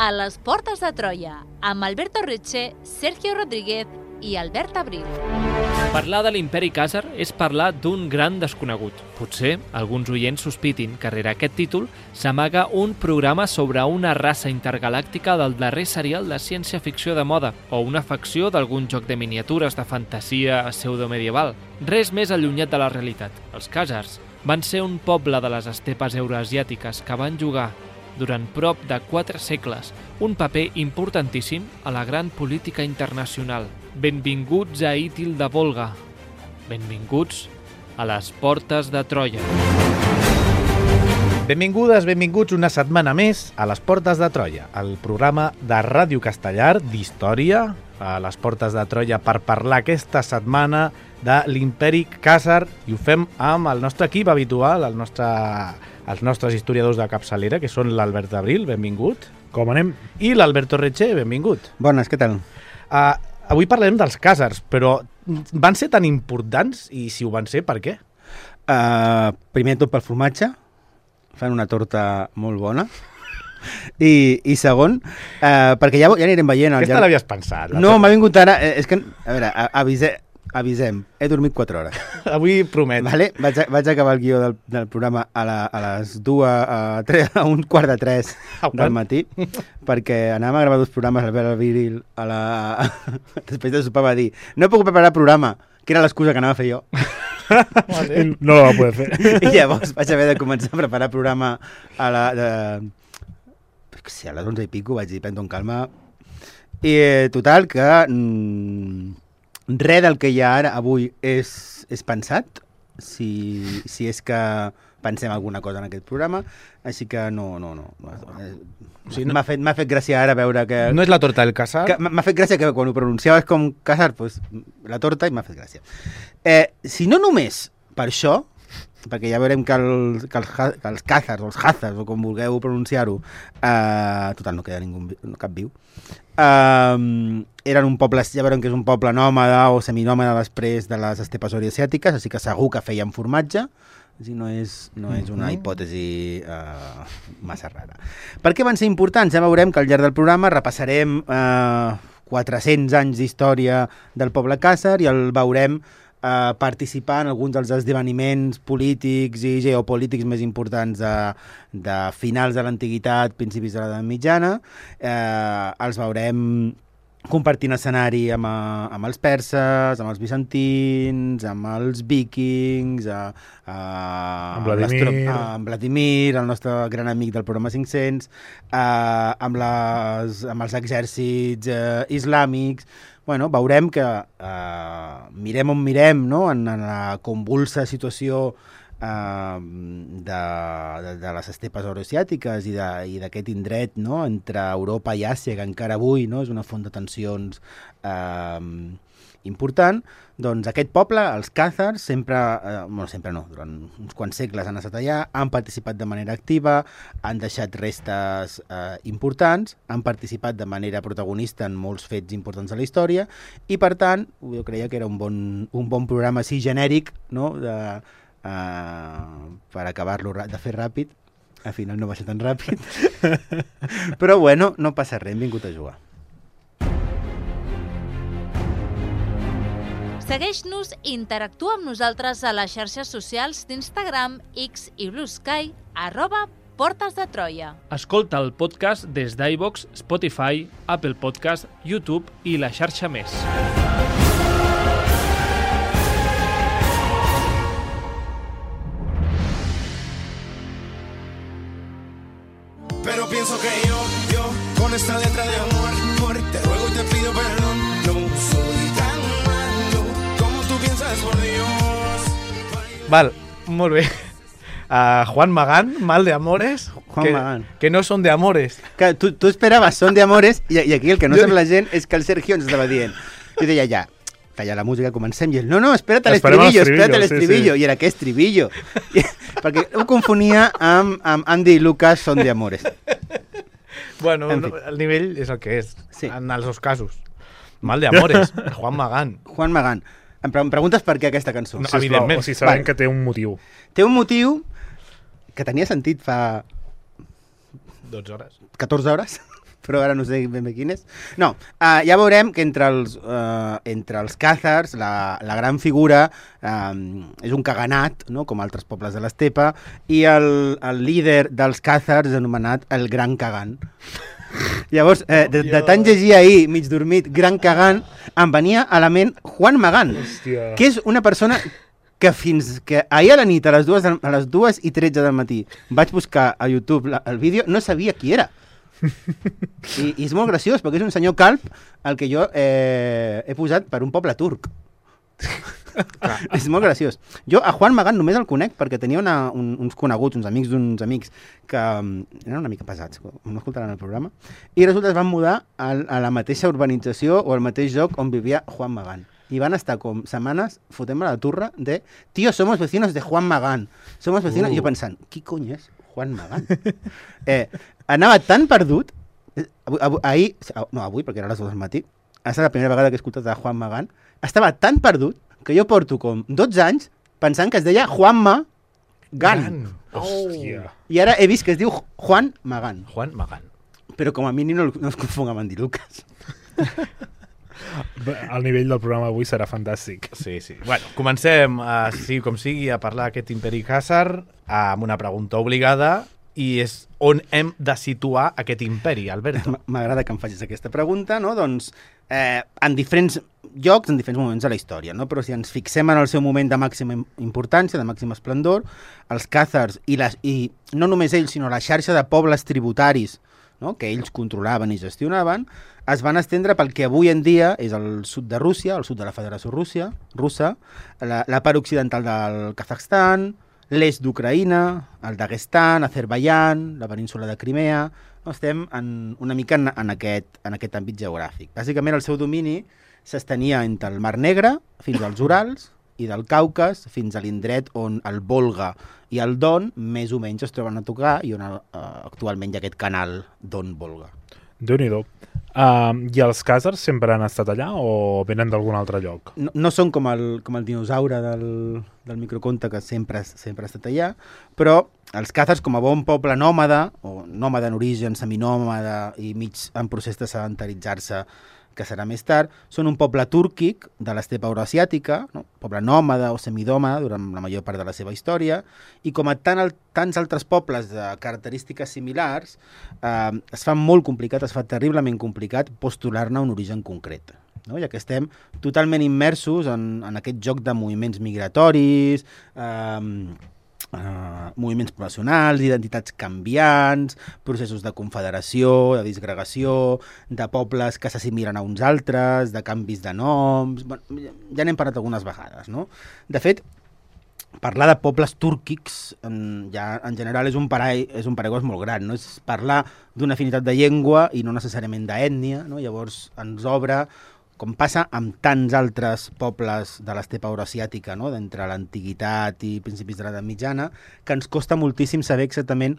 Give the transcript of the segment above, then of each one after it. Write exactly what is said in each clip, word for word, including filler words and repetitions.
a les Portes de Troia, amb Alberto Retxe, Sergio Rodríguez i Albert Abril. Parlar de l'imperi Khàzar és parlar d'un gran desconegut. Potser alguns oients sospitin que rere aquest títol s'amaga un programa sobre una raça intergalàctica del darrer serial de ciència-ficció de moda o una facció d'algun joc de miniatures de fantasia pseudomedieval. Res més allunyat de la realitat. Els Khàzars van ser un poble de les estepes euroasiàtiques que van jugar durant prop de quatre segles un paper importantíssim a la gran política internacional. Benvinguts a Ítil de Volga. Benvinguts a les Portes de Troia. Benvingudes, benvinguts una setmana més a les Portes de Troia, el programa de Ràdio Castellar d'història a les Portes de Troia per parlar aquesta setmana de l'imperi Khàzar, i ho fem amb el nostre equip habitual, el nostre, els nostres historiadors de capçalera, que són l'Albert Abril, benvingut. Com anem? I l'Alberto Retxe, benvingut. Bones, què tal? Uh, avui parlarem dels Khàzars, però van ser tan importants, i si ho van ser, per què? Uh, primer tot pel formatge, fan una torta molt bona. I, i segon, uh, perquè ja, ja anirem veient... Aquesta llarg... l'havies pensat? No, m'ha vingut ara... Eh, és que, a veure, avise, avisem. He dormit quatre hores. Avui promet. Vale? Vaig, a, vaig acabar el guió del, del programa a, la, a les dues, a, tres, a un quart de tres del matí, perquè anàvem a gravar dos programes al Albert Abril a la... després de sopar va dir no puc preparar programa, que era l'excusa que anava a fer jo. Vale. No la va poder fer. I llavors vaig haver de començar a preparar programa a la... De... Sí, a les onze i pico vaig dir, prendo en calma. I eh, total, que mm, res del que hi ha ara avui és, és pensat, si, si és que pensem alguna cosa en aquest programa, així que no, no, no. O sigui, no m'ha fet, m'ha fet gràcia ara veure que... No és la torta del Khàzar? M'ha fet gràcia que quan ho pronunciaves com Khàzar, pues, la torta, i m'ha fet gràcia. Eh, si no només per això, perquè ja veurem que, el, que, els, que els Khàzars o els Khàzars, o com vulgueu pronunciar-ho, eh, total, no queda ningú, no, cap viu, eh, eren un poble, ja veurem que és un poble nòmada o seminòmada després de les estepes oriasiàtiques, així que segur que feien formatge, així no és, no és una hipòtesi eh, massa rara. Per què van ser importants? Ja veurem que al llarg del programa repassarem eh, quatre-cents anys d'història del poble Khàzar i el veurem Uh, participar en alguns dels esdeveniments polítics i geopolítics més importants de, de finals de l'antiguitat, principis de l'edat mitjana. Uh, els veurem compartint escenari amb, uh, amb els perses, amb els bizantins, amb els vikings, uh, uh, amb, Vladimir. uh, amb Vladimir, el nostre gran amic del programa cinc-cents, uh, amb, les, amb els exèrcits uh, islàmics. Bueno, veurem que eh, mirem on mirem, no?, en, en la convulsa situació eh, de, de, de les estepes euroasiàtiques i d'aquest indret, no?, entre Europa i Àsia, que encara avui, no?, és una font de tensions eh, important. Doncs aquest poble, els Khàzars, sempre, eh, bueno, sempre no, durant uns quants segles han estat allà, han participat de manera activa, han deixat restes eh, importants, han participat de manera protagonista en molts fets importants de la història, i per tant, jo creia que era un bon, un bon programa així genèric, no?, de, eh, per acabar-lo de fer ràpid. Al final no va ser tan ràpid. Però bueno, no passa res, hem vingut a jugar. Segueix-nos i interactua amb nosaltres a les xarxes socials d'Instagram, X i Blue Sky, arroba Portes de Troia. Escolta el podcast des d'iVoox, Spotify, Apple Podcast, YouTube i la xarxa més. Pero pienso que yo, yo, con esta letra de amor, amor, te ruego y te pido perdón, no soy tan malo como tú piensas, por Dios. Val, molt bé. Uh, Juan Magán, mal de amores, Juan que, Magán. que no són de amores. Que tu, tu esperaves son de amores i, i aquí el que no sap la gent és que el Sergio ens estava dient. Jo deia ja, talla la música, comencem, i ell, no, no, espera't a l'estribillo, espera't a l'estribillo, sí, sí. I era, què estribillo? I, perquè ho confonia amb, amb Andy i Lucas, son de amores. Bueno, En fi. no, el nivell és el que és, Sí. en els dos casos. Mal de amores, Juan Magán. Juan Magán. Em, pre em preguntes per què aquesta cançó? No, Sisplau, evidentment. o sigui, sabem Vale. que té un motiu. Té un motiu que tenia sentit fa dotze hores. catorze hores, però ara no sé ben bé quin és. No, uh, ja veurem que entre els, uh, entre els càzars la, la gran figura um, és un caganat, no? Com altres pobles de l'estepa, i el, el líder dels càzars és anomenat el Gran Cagant. Llavors, eh, de, de tant llegir ahir, mig dormit, Gran Cagant, em venia a la ment Juan Magán, Hòstia. que és una persona que fins que ahir a la nit, a les dues, a les dues i tretze del matí, vaig buscar a YouTube la, el vídeo, no sabia qui era. I, I és molt graciós, perquè és un senyor calp el que jo eh, he posat per un poble turc. És molt graciós. Jo a Juan Magán només el conec perquè tenia una, un, uns coneguts, uns amics d'uns amics que um, eren una mica pesats, no escoltaran el programa, i resulta que es van mudar a, a la mateixa urbanització o al mateix lloc on vivia Juan Magán. I van estar com setmanes fotent-me la turra de «Tío, somos vecinos de Juan Magán». Somos vecinos... Uh. I jo pensant, qui cony és Juan Magán? eh, anava tan perdut, avui, avui, ahir, no avui, perquè era a les dues del matí, ha estat la primera vegada que he escoltat de Juan Magán, estava tan perdut que jo porto com dotze anys pensant que es deia Juanma Gan. Hòstia. I ara he vist que es diu Juan Magán. Juan Magán. Però com a mínim no, no es confon amb en Di Lucas. El nivell del programa avui serà fantàstic. Sí, sí. Bueno, comencem, uh, sí com sigui, a parlar d'aquest imperi càsar amb una pregunta obligada, i és on hem de situar aquest imperi, Alberto? M'agrada que em facis aquesta pregunta, no? Doncs eh, en diferents llocs, en diferents moments de la història, no? Però si ens fixem en el seu moment de màxima importància, de màxima esplendor, els càzars, i, les, i no només ells, sinó la xarxa de pobles tributaris, no? Que ells controlaven i gestionaven, es van estendre pel que avui en dia és el sud de Rússia, el sud de la Federació Rússia, russa, la, la part occidental del Kazakhstan, l'est d'Ucraïna, el Daguestan, Azerbaiyán, la península de Crimea. No, estem en, una mica en, en, aquest, en aquest àmbit geogràfic. Bàsicament el seu domini s'estenia entre el Mar Negre fins als Urals i del Caucas fins a l'indret on el Volga i el Don més o menys es troben a tocar i on uh, actualment hi ha aquest canal Don-Volga. Déu-n'hi-do. Uh, I els càzars sempre han estat allà o venen d'algun altre lloc? No, no són com el, com el dinosaure del, del microconte que sempre, sempre ha estat allà, però els càzars, com a bon poble nòmada, o nòmada en origen, seminòmada i mig en procés de sedentaritzar-se, que serà més tard, són un poble túrquic de l'estepa euroasiàtica, no? Poble nòmada o semidòmada durant la major part de la seva història, i com a tant el, tants altres pobles de característiques similars, eh, es fa molt complicat, es fa terriblement complicat postular-ne un origen concret. No? Ja que estem totalment immersos en, en aquest joc de moviments migratoris, eh, Uh, moviments poblacionals, identitats canviants, processos de confederació, de disgregació, de pobles que s'assimilen a uns altres, de canvis de noms... Bueno, ja n'hem parlat algunes vegades, no? De fet, parlar de pobles túrquics en, ja, en general és un, parai, és un paraigües molt gran, no? És parlar d'una afinitat de llengua i no necessàriament d'ètnia, no? Llavors ens obre, com passa amb tants altres pobles de l'estepa euroasiàtica, no? D'entre l'antiguitat i principis de l'edat mitjana, que ens costa moltíssim saber exactament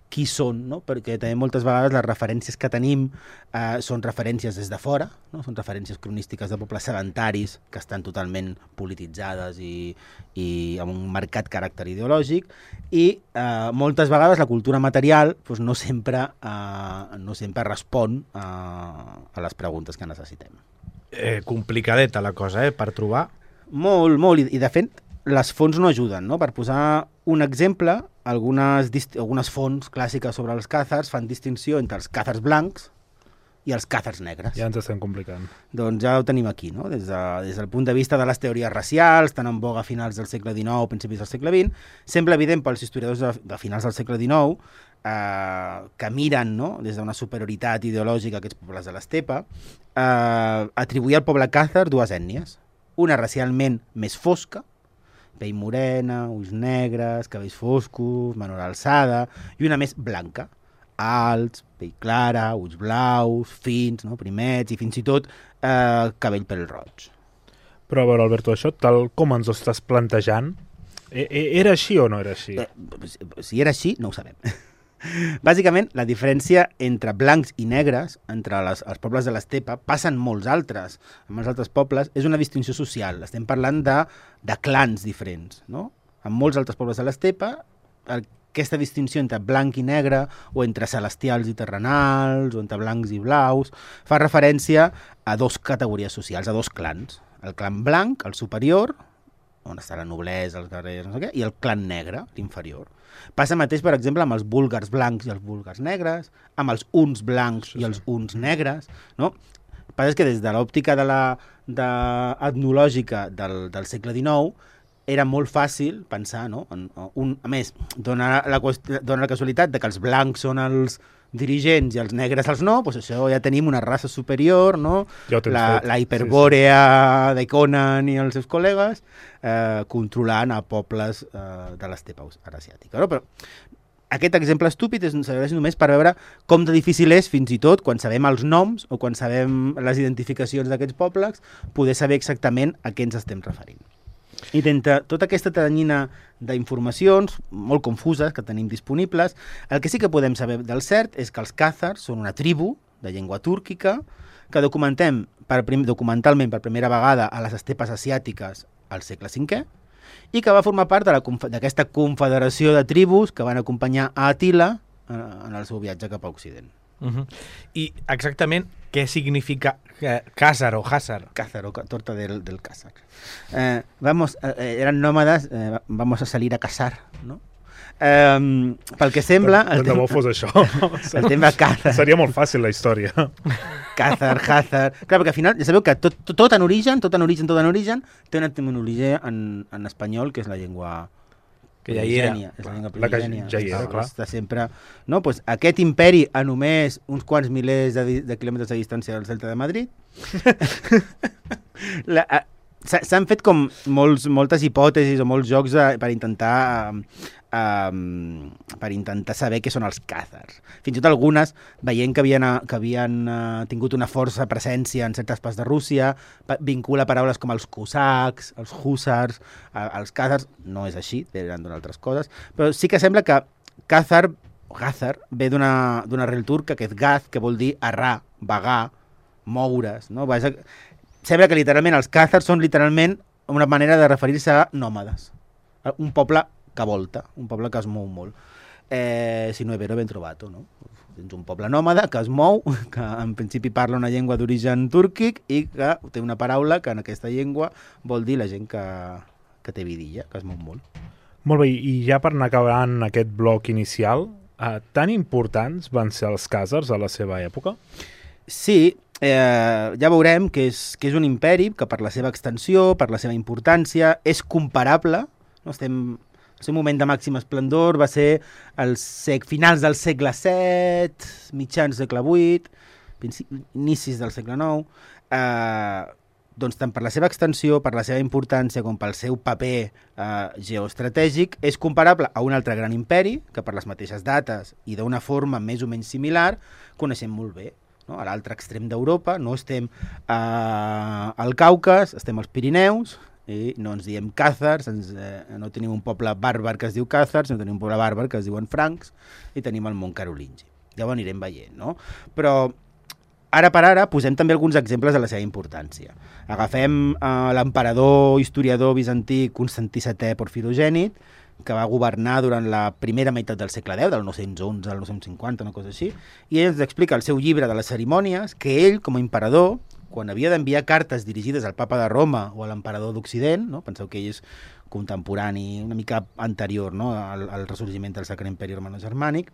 qui són, no? Perquè també moltes vegades les referències que tenim eh, són referències des de fora, no? Són referències cronístiques de pobles sedentaris que estan totalment polititzades i, i amb un marcat caràcter ideològic, i eh, moltes vegades la cultura material doncs, no, sempre, eh, no sempre respon eh, a les preguntes que necessitem. Eh, complicadeta la cosa, eh, per trobar. Molt, molt, i, i de fet les fonts no ajuden, no? Per posar un exemple, algunes, algunes fonts clàssiques sobre els càzars fan distinció entre els càzars blancs i els càzars negres. Ja ens estem complicant. Doncs ja ho tenim aquí, no? Des, de, des del punt de vista de les teories racials, tan en boga a finals del segle dinou, principis del segle vint, sembla evident pels historiadors de, de finals del segle dinou eh, que miren, no? Des d'una superioritat ideològica a aquests pobles de l'estepa, eh, atribuir al poble càzar dues ètnies. Una racialment més fosca, pell morena, ulls negres, cabells foscos, menor alçada, i una més blanca, alts, pell clara, ulls blaus, fins, no? Primets, i fins i tot eh, cabell pèl roig. Però a veure, Alberto, això, tal com ens ho estàs plantejant, era així o no era així? Eh, si era així, no ho sabem. Bàsicament, la diferència entre blancs i negres, entre les, els pobles de l'estepa, passen molts altres. En molts altres pobles és una distinció social. Estem parlant de, de clans diferents, no? En molts altres pobles de l'estepa, el aquesta distinció entre blanc i negre, o entre celestials i terrenals, o entre blancs i blaus, fa referència a dos categories socials, a dos clans. El clan blanc, el superior, on està la noblesa, els guerrers, no sé què, i el clan negre, l'inferior. Passa mateix, per exemple, amb els búlgars blancs i els búlgars negres, amb els uns blancs sí, sí. i els uns negres, no? El que passa és que des de l'òptica de la, de, etnològica del, del segle dinou era molt fàcil pensar, no? En, un, a més, dona la, dona la casualitat de que els blancs són els dirigents i els negres els no, doncs això ja tenim una raça superior, no? Ja la, la hiperbòrea sí, sí. de Conan i els seus col·legues eh, controlant a pobles eh, de l'estepa asiàtica. No? Però aquest exemple estúpid és, serveix només per veure com de difícil és, fins i tot, quan sabem els noms o quan sabem les identificacions d'aquests pobles, poder saber exactament a què ens estem referint. I d'entre tota aquesta teranyina d'informacions molt confuses que tenim disponibles, el que sí que podem saber del cert és que els càzars són una tribu de llengua túrquica que documentem per prim, documentalment per primera vegada a les estepes asiàtiques al segle cinquè i que va formar part d'aquesta confederació de tribus que van acompanyar a Àtila en el seu viatge cap a Occident. Uh-huh. I exactament què significa eh, Càsar o Hàssar? Càzar o torta del, del Càsar. Eh, vamos, eh, eran nómadas, eh, vamos a salir a cazar, ¿no? Eh, pel que sembla... Tant de bo fos això. El tema Càzar. Seria molt fàcil la història. Càzar, Hàssar... Clar, perquè al final ja sabeu que tot, tot, tot en origen, tot en origen, tot en origen, té una etimologia en, en espanyol, que és la llengua... que ja hi era, és la llengua primigènia, ja hi era, clar. Està sempre, no? Pues aquest imperi a només uns quants milers de, de quilòmetres de distància del Celta de Madrid la, s'han fet com molts, moltes hipòtesis o molts jocs de, per intentar um, per intentar saber què són els càzars. Fins i tot algunes, veient que havien, que havien uh, tingut una força presència en certes parts de Rússia, vincula paraules com els cosacs, els hússars, uh, els càzars. No és així, eren d'altres coses, però sí que sembla que càzar, Gàzar, ve d'una arrel turca que és gaz, que vol dir errar, vagar, moure's, no? Sembla que literalment els càzars són literalment una manera de referir-se a nòmades. Un poble que volta, un poble que es mou molt. Eh, si no è vero, ben trovato, no? Tens un poble nòmada que es mou, que en principi parla una llengua d'origen túrquic i que té una paraula que en aquesta llengua vol dir la gent que, que té vidilla, que es mou molt. Molt bé, i ja per anar acabant aquest bloc inicial, eh, tan importants van ser els càzars a la seva època? Sí, eh, ja veurem que és, que és un imperi que per la seva extensió, per la seva importància, és comparable. No? Estem, el seu moment de màxim esplendor va ser els sec, finals del segle set, mitjans del segle vuit, inicis del segle nou. Eh, doncs tant per la seva extensió, per la seva importància, com pel seu paper eh, geoestratègic, és comparable a un altre gran imperi, que per les mateixes dates i d'una forma més o menys similar, coneixem molt bé. No? A l'altre extrem d'Europa, no estem eh, al Caucas, estem als Pirineus, i no ens diem càzars, ens, eh, no tenim un poble bàrbar que es diu càzars, no tenim un poble bàrbar que es diuen francs, i tenim el mont carolingi. Ja ho anirem veient, no? Però ara per ara posem també alguns exemples de la seva importància. Agafem eh, l'emperador historiador bizantí Constantí setè Porfirogènit, que va governar durant la primera meitat del segle deu, del nou-cents onze al nou-cents cinquanta, una cosa així, i ell ens explica el seu llibre de les cerimònies que ell, com a emperador, quan havia d'enviar cartes dirigides al papa de Roma o a l'emperador d'Occident, no? Penseu que ell és contemporani, una mica anterior, no? al, al ressorgiment del Sacre Imperi Romano-Germànic,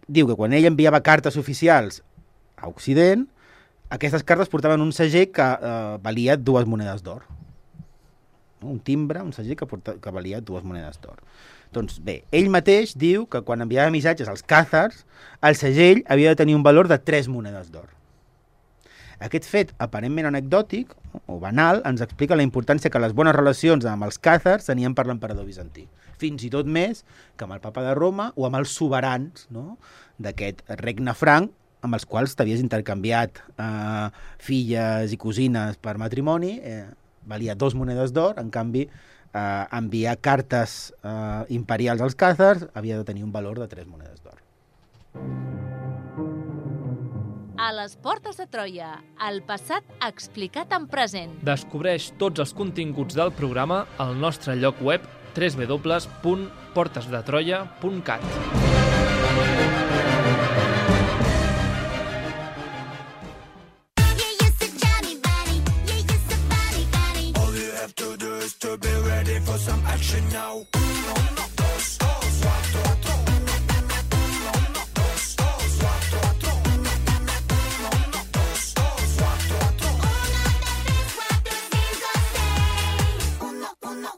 diu que quan ell enviava cartes oficials a Occident, aquestes cartes portaven un segell que eh, valia dues monedes d'or. Un timbre, un segell que, porta, que valia dues monedes d'or. Doncs bé, ell mateix diu que quan enviava missatges als càzars, el segell havia de tenir un valor de tres monedes d'or. Aquest fet aparentment anecdòtic o banal ens explica la importància que les bones relacions amb els càzars tenien per l'emperador bizantí. Fins i tot més que amb el papa de Roma o amb els soberans, no? D'aquest regne franc, amb els quals t'havies intercanviat eh, filles i cosines per matrimoni, eh, valia dos monedes d'or, en canvi eh, enviar cartes eh, imperials als càzars havia de tenir un valor de tres monedes d'or. A les portes de Troia, el passat explicat en present. Descobreix tots els continguts del programa al nostre lloc web w w w punt portes de troia punt cat. All you have to do is to be ready for some action now. Uno, dos, dos, cuatro, cuatro. Uno, dos, dos, cuatro, cuatro. Uno, dos, dos, cuatro, cuatro. Uno, uno.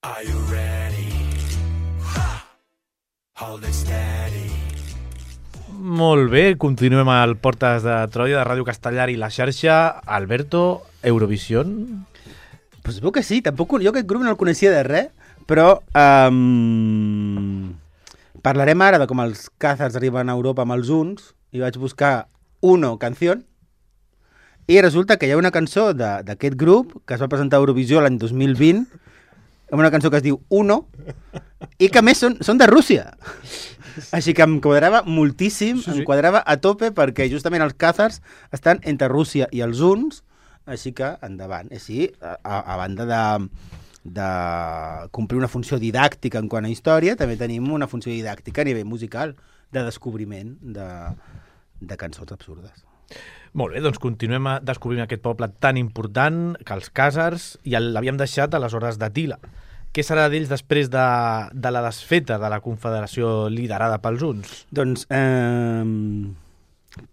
Are you ready? Ha! Hold it steady. Molt bé, continuem al Portes de Troia de Ràdio Castellar i la xarxa. Alberto, Eurovision? Pues veu que sí, tampoc, jo aquest grup no el coneixia de res, però um, parlarem ara de com els Càzars arriben a Europa amb els uns, i vaig buscar Uno canción, i resulta que hi ha una cançó d'aquest grup que es va presentar a Eurovisió l'any dos mil vint, amb una cançó que es diu Uno, i que a més són, són de Rússia. Així que em quadrava moltíssim, sí, sí. em quadrava a tope, perquè justament els Càzars estan entre Rússia i els uns, així que endavant. Així, a, a banda de, de complir una funció didàctica en quant a història, també tenim una funció didàctica a nivell musical, de descobriment de, de cançons absurdes. Molt bé, doncs continuem a descobrir aquest poble tan important que els Càzars, i l'havíem deixat a les hores d'Atila. Què serà d'ells després de, de la desfeta de la confederació liderada pels uns? Doncs eh,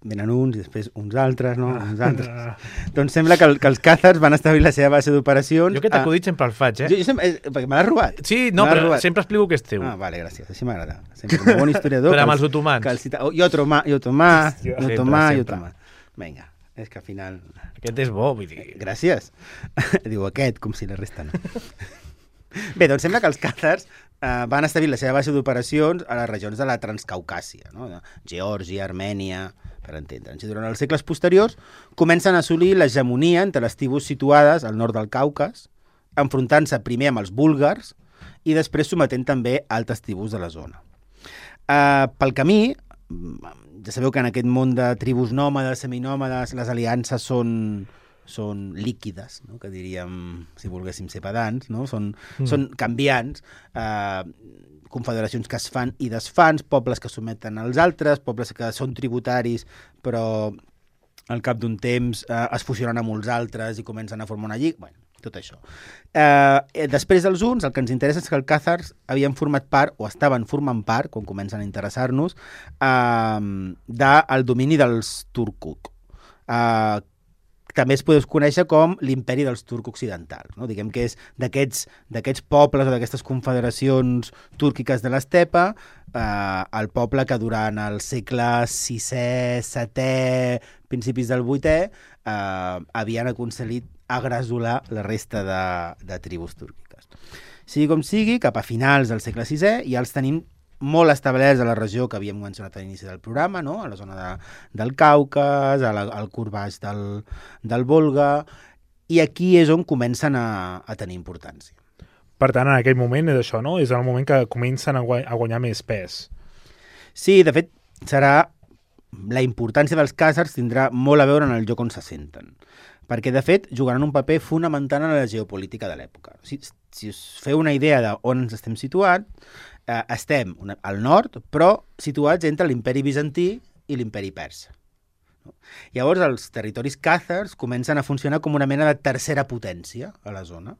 venen uns i després uns altres, no? Uns altres. Doncs sembla que, el, que els Càzars van establir la seva base d'operacions. Jo aquest acudit sempre el faig, eh? Jo, jo sempre, eh, perquè me l'has robat. Sí, no, però robat. Sempre explico que és teu. Ah, vale, gràcies, així m'agrada. Sempre un bon historiador. Però amb els otomans. Que el cita... oh, jo otomà, jo otomà, jo otomà, jo otomà. Vinga, és que al final... Aquest és bo, vull dir... Gràcies. Diu aquest, com si la resta no. Bé, doncs sembla que els Càzars eh, van establir la seva base d'operacions a les regions de la Transcaucàsia, no? Geòrgia, Armènia, per entendre'ns. I durant els segles posteriors comencen a assolir l'hegemonia entre les tribus situades al nord del Caucas, enfrontant-se primer amb els búlgars i després sometent també altres tribus de la zona. Eh, pel camí, ja sabeu que en aquest món de tribus nòmades, seminòmades, les aliances són... són líquides, no? Que diríem, si volguéssim ser pedants, no? Són, mm. són canviants, eh, confederacions que es fan i desfan, pobles que someten als altres, pobles que són tributaris, però al cap d'un temps eh, es fusionen amb uns altres i comencen a formar una lliga. Bueno, tot això. Eh, després dels uns, el que ens interessa és que els Càzars havien format part, o estaven formant part, quan comencen a interessar-nos, eh, del domini dels Turkuk. Eh, també es podeu conèixer com l'imperi dels turcs occidentals, no? Diguem que és d'aquests d'aquests pobles o d'aquestes confederacions túrquiques de l'estepa, eh, el poble que durant el segle sisè, setè, principis del vuitè, eh, havien aconseguit agresolar la resta de, de tribus túrquiques. Sigui com sigui, cap a finals del segle sisè ja els tenim molt establerts a la regió que havíem mencionat a l'inici del programa, no? A la zona de, del Caucas, a la, al curt baix del, del Volga, i aquí és on comencen a, a tenir importància. Per tant, en aquell moment és això, no? És el moment que comencen a, guany, a guanyar més pes. Sí, de fet, serà... La importància dels Càzars tindrà molt a veure en el lloc on se senten, perquè, de fet, jugaran un paper fonamental en la geopolítica de l'època. Si, si us feu una idea d'on ens estem situats, eh, estem una, al nord, però situats entre l'imperi bizantí i l'imperi persa. No? Llavors, els territoris Càzars comencen a funcionar com una mena de tercera potència a la zona.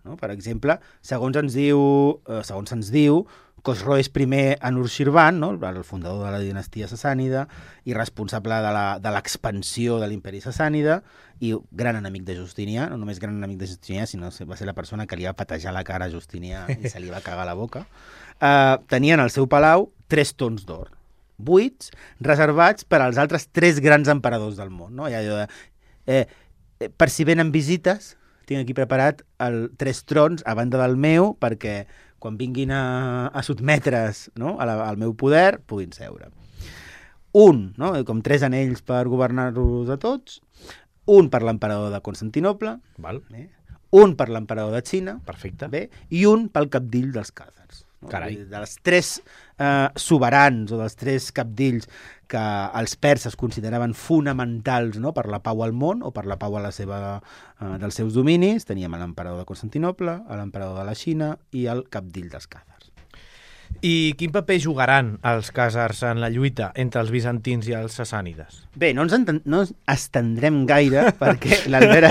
No? Per exemple, segons ens diu, eh, segons ens diu, Khosró és primer Anushirvan, no? El fundador de la dinastia sassànida i responsable de l'expansió de l'imperi sassànida i gran enemic de Justinià, no només gran enemic de Justinià, sinó va ser la persona que li va patejar la cara a Justinià i se li va cagar la boca. Uh, tenien al seu palau tres tons d'or, buits, reservats per als altres tres grans emperadors del món. No? I allò de, eh, eh, per si venen visites, tinc aquí preparat el tres trons a banda del meu perquè quan vinguin a, a sotmetre's, no? a la, al meu poder, puguin seure. Un, no? Com tres anells per governar-los a tots, un per l'emperador de Constantinople, Val. Eh? un per l'emperador de Xina, Perfecte. bé, i un pel capdill dels càzars. No? Carai. Dels tres eh, soberans o dels tres capdills que els perses consideraven fonamentals, no? Per la pau al món o per la pau a la seva, eh, dels seus dominis, teníem l'emperador de Constantinople, l'emperador de la Xina i el capdill dels càzars. I quin paper jugaran els càzars en la lluita entre els bizantins i els sassànides? Bé, no ens, enten, no ens estendrem gaire perquè l'Albera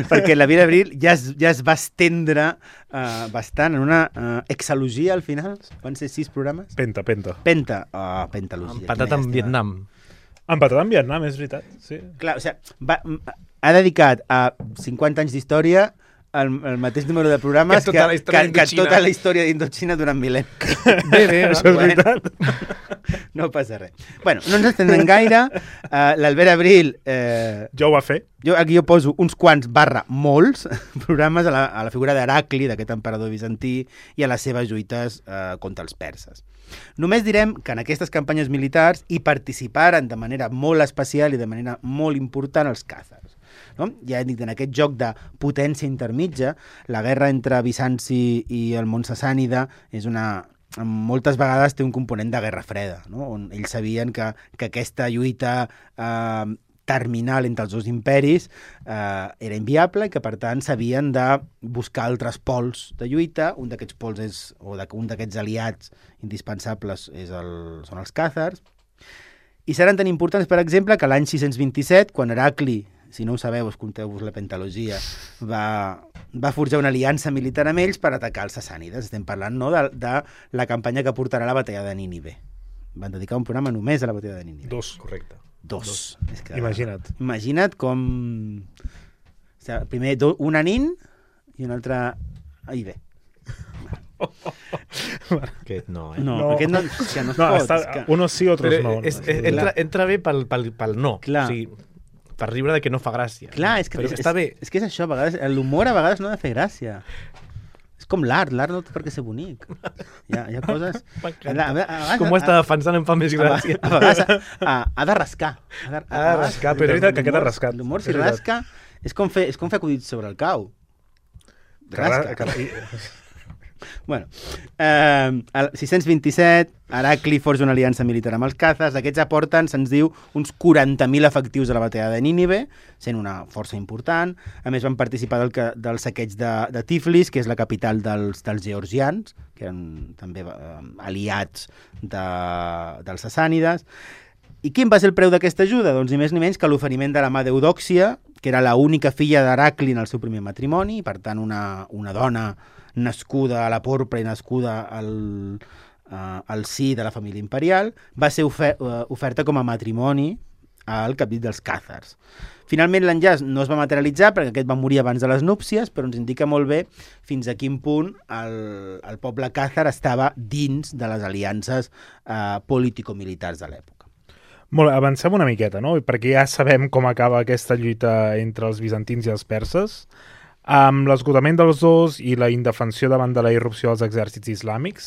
perquè l'Albera Abril ja es, ja es va estendre uh, bastant en una uh, exalogia al final. Van ser sis programes? Penta, penta. Penta. Oh, pentalogia. Empatat amb Vietnam. Empatat amb Vietnam, és veritat. Sí. Clar, o sigui, va, ha dedicat a cinquanta anys d'història el, el mateix número de programes Que tota la història que, que d'Indoxina. tota la història d'Indoxina durant mil·lennis. Bé, bé, Això és Bueno. veritat. No passa res. Bueno, no ens estendrem gaire. Uh, L'Albert Abril... Eh, Jo ho va fer. jo aquí jo poso uns quants barra molts programes a la, a la figura d'Heracli, d'aquest emperador bizantí, i a les seves lluites eh, contra els perses. Només direm que en aquestes campanyes militars hi participaren de manera molt especial i de manera molt important els càzars. No? Ja he dit, en aquest joc de potència intermitja, la guerra entre Bizanci i el món sassànida és una... moltes vegades té un component de guerra freda, no? On ells sabien que, que aquesta lluita eh, terminal entre els dos imperis eh, era inviable i que, per tant, s'havien de buscar altres pols de lluita. Un d'aquests pols és, o de, un d'aquests aliats indispensables és el, són els càzars. I seran tan importants, per exemple, que l'any sis-cents vint-i-set, quan Heracli, si no ho sabeu, escolteu-vos la pentalogia, va, va forjar una aliança militar amb ells per atacar els sassànides. Estem parlant, no?, de, de la campanya que portarà a la batalla de Nínive. Van dedicar un programa només a la batalla de Nínive. Dos. Correcte. Dos. Dos. És que, Imagina't. Imagina't com... O sigui, primer do, un anin i un altre... Ai, bé. Aquest no, eh? No, No. aquest no, és que no es No, pot. està, És que... unos sí, otros Però no. és, és, entra, entra bé pel, pel, pel no. Clar. O sigui, per riure de que no fa gràcia. Clar, és que, Però és, està bé. És, és que és això, a vegades, l'humor a vegades no ha de fer gràcia. És com l'art, l'art no té per què ser bonic. Hi ha, hi ha coses... M'encanta. A, a, a, vegades- Com ho està defensant em fa més a, gràcia. a, a vegades ha, ha, ha de rascar. Ha de, Ha de rascar, Però és veritat que aquest ha l'humor- rascat. L'humor, si És veritat. rasca, és com fer, és com fer acudits sobre el cau. Rasca. Que- que- Bueno, eh, el sis-cents vint-i-set, Heracli forja una aliança militar amb els càzars. Aquests aporten, se'ns diu, uns quaranta mil efectius a la batalla de Nínive, sent una força important. A més, van participar del, ca- del saqueig de, de Tiflis, que és la capital dels, dels georgians, que eren també eh, aliats de, dels sassànides. I quin va ser el preu d'aquesta ajuda? Doncs ni més ni menys que l'oferiment de la mà d'Eudòxia, que era l'única filla d'Heracli en el seu primer matrimoni, per tant una, una dona nascuda a la porpra i nascuda al, uh, al si de la família imperial, va ser ofer uh, oferta com a matrimoni al capdill dels càzars. Finalment l'enllaç no es va materialitzar perquè aquest va morir abans de les núpcies, però ens indica molt bé fins a quin punt el, el poble càzar estava dins de les aliances uh, político-militars de l'època. Molt bé, avancem una miqueta, no? Perquè ja sabem com acaba aquesta lluita entre els bizantins i els perses. Amb l'esgotament dels dos i la indefensió davant de la irrupció dels exèrcits islàmics,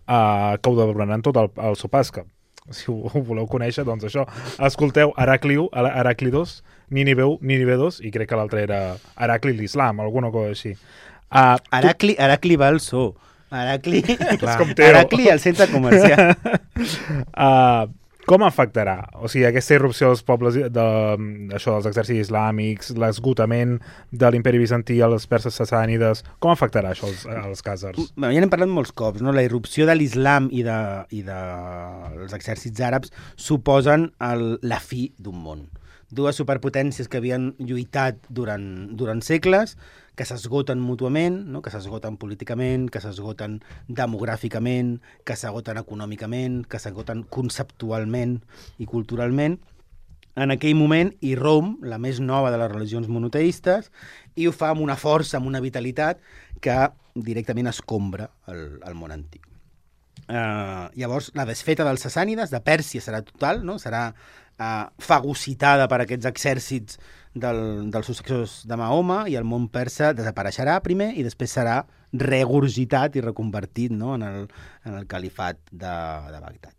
eh, que ho donaran tot al, al Sopasca. Si ho, ho voleu conèixer, doncs això. Escolteu Heracli u, Heracli dos, Nínive u, Nínive dos, i crec que l'altre era Heracli l'Islam, alguna cosa així. Uh, Heracli, Heracli va al zoo. Heracli, com Teo. Heracli al centre comercial. uh, com afectarà? O sigui, aquesta irrupció dels pobles, de, això, dels exèrcits islàmics, l'esgotament de l'imperi bizantí a les perses sassànides, com afectarà això als, als càzars? Bueno, ja n'hem parlat molts cops, no? La irrupció de l'islam i, de, i de els exèrcits àrabs suposen el, la fi d'un món. Dues superpotències que havien lluitat durant, durant segles, que s'esgoten mútuament, no? Que s'esgoten políticament, que s'esgoten demogràficament, que s'esgoten econòmicament, que s'esgoten conceptualment i culturalment. En aquell moment irromp la més nova de les religions monoteistes i ho fa amb una força, amb una vitalitat que directament escombra el, el món antic. Uh, llavors, la desfeta dels sassànides, de Pèrsia, serà total, no? Serà uh, fagocitada per aquests exèrcits del, dels successors de Mahoma i el món persa desapareixerà primer i després serà regurgitat i reconvertit, no? en, el, en el califat de, de Bagdad.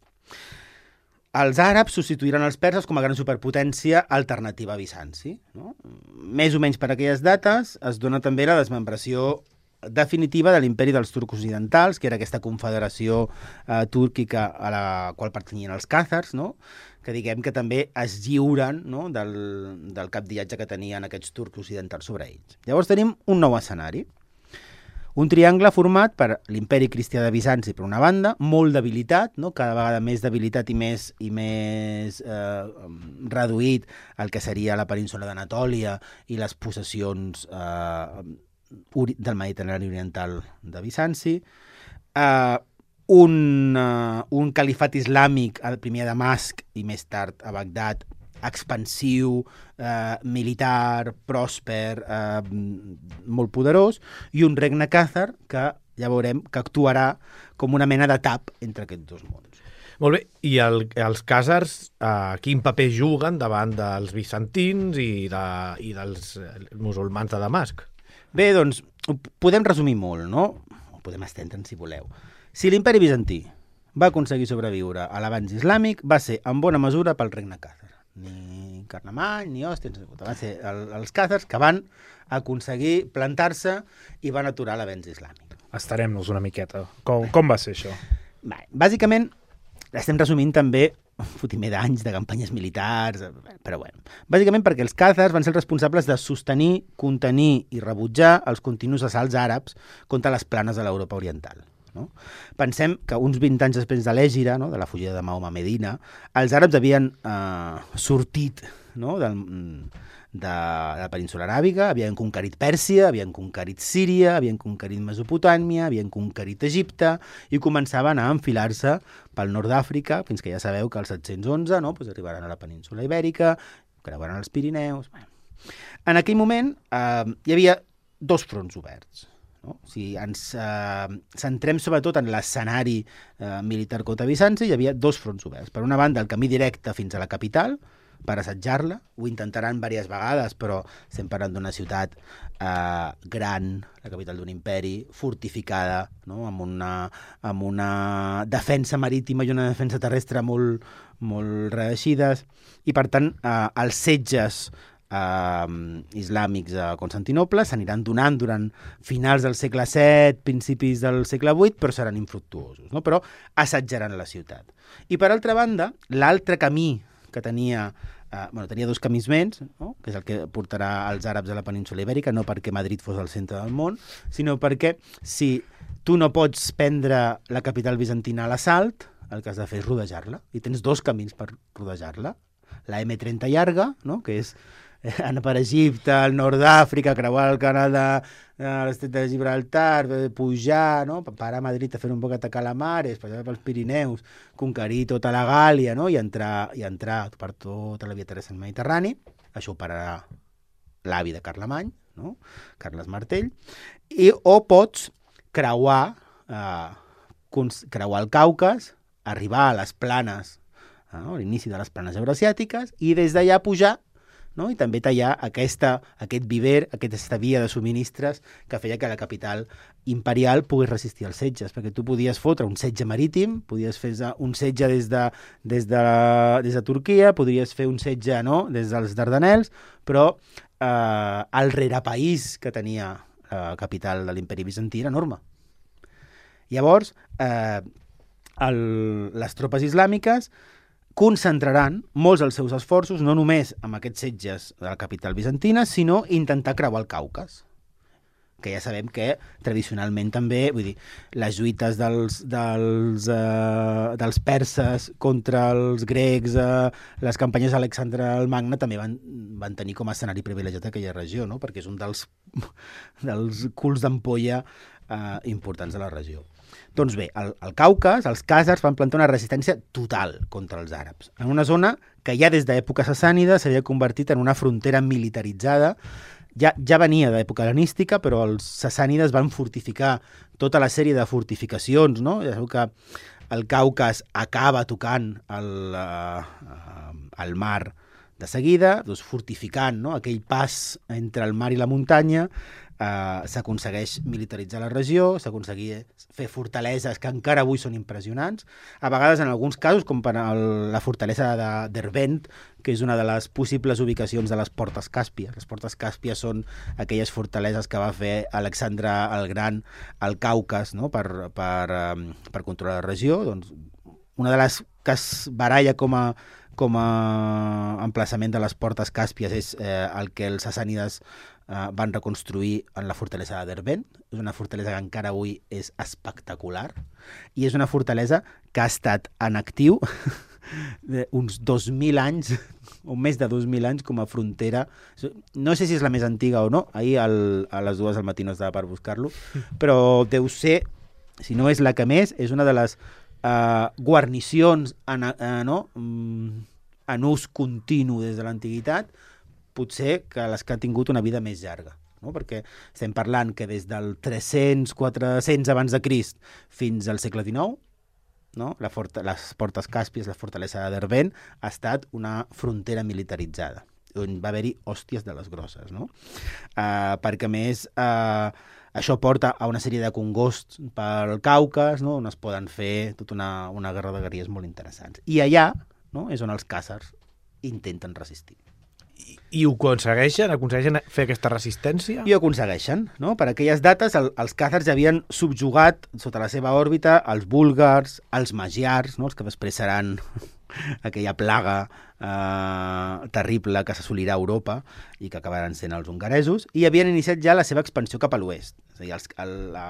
els àrabs substituiran els perses com a gran superpotència alternativa a Bizanci. No? Més o menys per aquelles dates es dona també la desmembració definitiva de l'imperi dels turcs occidentals, que era aquesta confederació eh, túrquica a la qual pertanyien els càzars, no? Que diguem que també es lliuren, no? del, del capdiatge que tenien aquests turcs occidentals sobre ells. Llavors tenim un nou escenari. Un triangle format per l'imperi cristià de Bizanci, per una banda, molt debilitat, no? Cada vegada més debilitat i més, i més eh, reduït el que seria la península d'Anatòlia i les possessions eh, del Mediterrani oriental de Bizanci, uh, un, uh, un califat islàmic, el primer a Damasc i més tard a Bagdad, expansiu, uh, militar, pròsper, uh, molt poderós, i un regne càzar que ja veurem que actuarà com una mena de tap entre aquests dos mons. Molt bé, i el, els càzars uh, quin paper juguen davant dels bizantins i, de, i dels musulmans de Damasc? Bé, doncs, ho podem resumir molt, no? Ho podem estendre'n, si voleu. Si l'imperi bizantí va aconseguir sobreviure a l'avanç islàmic, va ser en bona mesura pel regne càzar. Ni Carlemany, ni Òstia, van ser el, els càzars que van aconseguir plantar-se i van aturar l'avanç islàmic. Estarem-nos una miqueta. Com, com va ser això? Bé, bàsicament, estem resumint també un fotimer d'anys de campanyes militars, però bueno. Bàsicament perquè els càzars van ser els responsables de sostenir, contenir i rebutjar els continus assalts àrabs contra les planes de l'Europa oriental. No? Pensem que uns vint anys després de l'Ègira, no? de la fugida de Mahoma a Medina, els àrabs havien eh, sortit, no? del, de la península aràbiga, havien conquerit Pèrsia, havien conquerit Síria, havien conquerit Mesopotàmia, havien conquerit Egipte i començaven a enfilar-se pel nord d'Àfrica, fins que ja sabeu que els set-cents onze no? pues arribaran a la península Ibèrica, creuaran els Pirineus... En aquell moment eh, hi havia dos fronts oberts. No? Si ens eh, centrem sobretot en l'escenari eh, militar contra Bizanci, hi havia dos fronts oberts. Per una banda, el camí directe fins a la capital, per assetjar-la. Ho intentaran diverses vegades, però estem parlant d'una ciutat eh, gran, la capital d'un imperi, fortificada, no? amb, una, amb una defensa marítima i una defensa terrestre molt, molt reeixides. I, per tant, eh, els setges eh, islàmics a Constantinople s'aniran donant durant finals del segle set, principis del segle vuit, però seran infructuosos, no? Però assetjaran la ciutat. I, per altra banda, l'altre camí que tenia, eh, bueno, tenia dos camins més, no? Que és el que portarà els àrabs a la península Ibèrica, no perquè Madrid fos el centre del món, sinó perquè si tu no pots prendre la capital bizantina a l'assalt, el que has de fer és rodejar-la, i tens dos camins per rodejar-la. La eme trenta llarga, no? Que és anar per Egipte, al nord d'Àfrica, creuar el canal de, de l'estret de Gibraltar, pujar, no? Parar a Madrid a fer un poc de calamares, passar pels Pirineus, conquerir tota la Gàlia, no? I entrar, i entrar per tota la via terrestre del Mediterrani. Això ho pararà l'avi de Carlemany, no? Carles Martell. I, o pots creuar, eh, creuar el Caucas, arribar a les planes, no? l'inici de les planes eurasiàtiques, i des d'allà pujar, no? I també tallar aquesta, aquest viver, aquesta via de subministres que feia que la capital imperial pogués resistir els setges, perquè tu podies fotre un setge marítim, podies fer un setge des de, des de, des de Turquia, podries fer un setge, no? Des dels Dardanels, però eh, el rerepaís que tenia la capital de l'imperi bizantí era enorme. Llavors, eh, el, les tropes islàmiques concentraran molts dels seus esforços no només amb aquests setges de la capital bizantina, sinó intentar creuar el Caucas, que ja sabem que tradicionalment també, vull dir, les lluites dels, dels, uh, dels perses contra els grecs, uh, les campanyes d'Alexandre el Magne també van, van tenir com a escenari privilegiat aquella regió, no? Perquè és un dels, dels culs d'ampolla uh, importants de la regió. Doncs bé, al, al Caucas, els càzars van plantar una resistència total contra els àrabs, en una zona que ja des d'època sassànida s'havia convertit en una frontera militaritzada. Ja, ja venia d'època hel·lenística, però els sassànides van fortificar tota la sèrie de fortificacions, no? Ja sabeu que el Caucas acaba tocant el, uh, el mar de seguida, doncs fortificant, no? Aquell pas entre el mar i la muntanya, eh, s'aconsegueix militaritzar la regió, s'aconsegueix fer fortaleses que encara avui són impressionants, a vegades en alguns casos, com per el, la fortalesa de Derbent, que és una de les possibles ubicacions de les portes càspies. Les portes càspies són aquelles fortaleses que va fer Alexandre el Gran al Caucas, no? per, per, um, per controlar la regió. Doncs, una de les que es baralla com a, com a emplaçament de les portes càspies és eh, el que els sassànides eh, van reconstruir en la fortalesa de Derbent. És una fortalesa que encara avui és espectacular i és una fortalesa que ha estat en actiu uns dos mil anys o més de dos mil anys com a frontera. No sé si és la més antiga o no, ahir al, a les dues del matí no estava per buscar-lo, però deu ser, si no és la que més, és una de les Uh, guarnicions en, uh, no? mm, en ús continu des de l'antiguitat, potser que les que han tingut una vida més llarga, no? Perquè estem parlant que des del tres-cents quatre-cents abans de Crist fins al segle dinou, no? La forta, les portes càspies, la fortalesa de Derbent, ha estat una frontera militaritzada, on va haver-hi hòsties de les grosses, no? Uh, perquè a més uh, això porta a una sèrie de congosts pel Caucas, no? On es poden fer tota una, una guerra de guerrilles molt interessants. I allà, no? És on els càsars intenten resistir. I, i ho aconsegueixen? Aconsegueixen fer aquesta resistència? I ho aconsegueixen, no? Per aquelles dates el, els càsars ja havien subjugat sota la seva òrbita els búlgars, els magiars, no? Els que després seran aquella plaga eh, terrible que s'assolirà a Europa i que acabaran sent els hongaresos, i havien iniciat ja la seva expansió cap a l'oest. És a dir, els, el, la,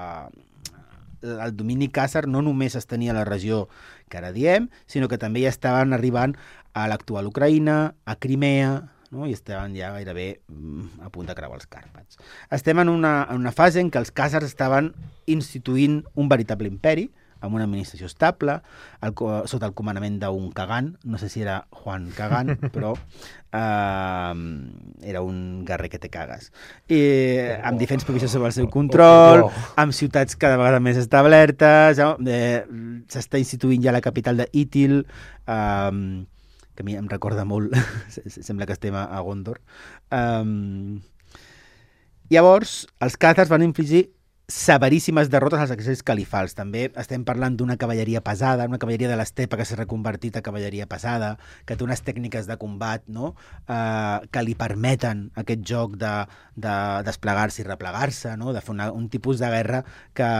el domini càsar no només es tenia a la regió que ara diem, sinó que també ja estaven arribant a l'actual Ucraïna, a Crimea, no? I estaven ja gairebé mm, a punt de creuar els Càrpats. Estem en una, en una fase en què els càsars estaven instituint un veritable imperi, amb una administració estable, el, sota el comandament d'un Kagan, no sé si era Juan Kagan, però eh, era un guerrer que te cagues. I amb diferents províncies sobre el seu control, amb ciutats cada vegada més establertes, eh, s'està instituint ja la capital d'Itil, eh, que a mi em recorda molt, sembla que estem a Gondor. Eh, llavors, els càtars van infligir severíssimes derrotes als exèrcits califals. També estem parlant d'una cavalleria pesada, una cavalleria de l'estepa que s'ha reconvertit a cavalleria pesada, que té unes tècniques de combat, no? eh, que li permeten aquest joc de, de desplegar-se i replegar-se, no? De fer una, un tipus de guerra que,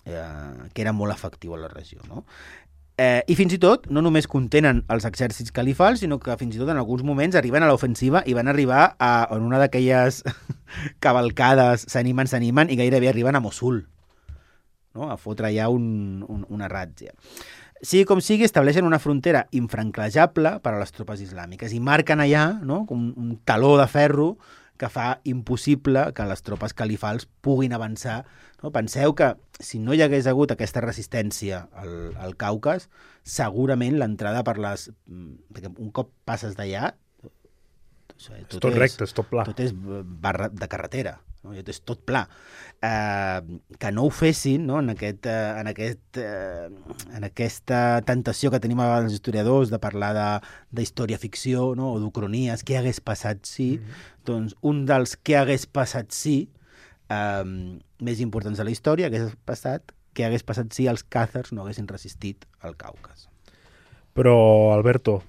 eh, que era molt efectiu a la regió, no? Eh, I fins i tot, no només contenen els exèrcits califals, sinó que fins i tot en alguns moments arriben a l'ofensiva i van arribar a, en una d'aquelles cavalcades, s'animen, s'animen, i gairebé arriben a Mossul, no? A fotre ja un, un, una ràtzia. Sigui com sigui, estableixen una frontera infranquejable per a les tropes islàmiques i marquen allà, no? un, un taló de ferro que fa impossible que les tropes califals puguin avançar. No? Penseu que si no hi hagués hagut aquesta resistència al, al Caucas, segurament l'entrada per les... Perquè un cop passes d'allà... Tot és tot és, recte, és tot pla. Tot és barra de carretera, no? Tot és tot pla. Eh, que no ho fessin, no? en, aquest, eh, en, aquest, eh, en aquesta tentació que tenim els historiadors de parlar d'història-ficció, no? O d'ucronies, què hagués passat si... Mm-hmm. Doncs un dels què hagués passat si eh, més importants de la història hagués passat, què hagués passat si els càzars no haguessin resistit al Caucas. Però, Alberto,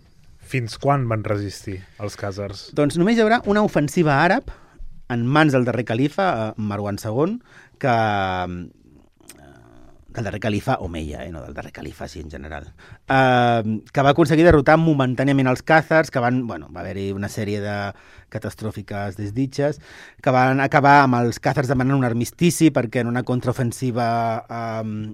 fins quan van resistir els càzars? Doncs només hi haurà una ofensiva àrab en mans del darrer califa, Marwan segon, que... del darrer califa Omeia, eh? No del darrer califa, sí, en general, eh, que va aconseguir derrotar momentàniament els càzars, que van, bueno, va haver-hi una sèrie de catastròfiques desditges, que van acabar amb els càzars demanant un armistici perquè en una contraofensiva eh,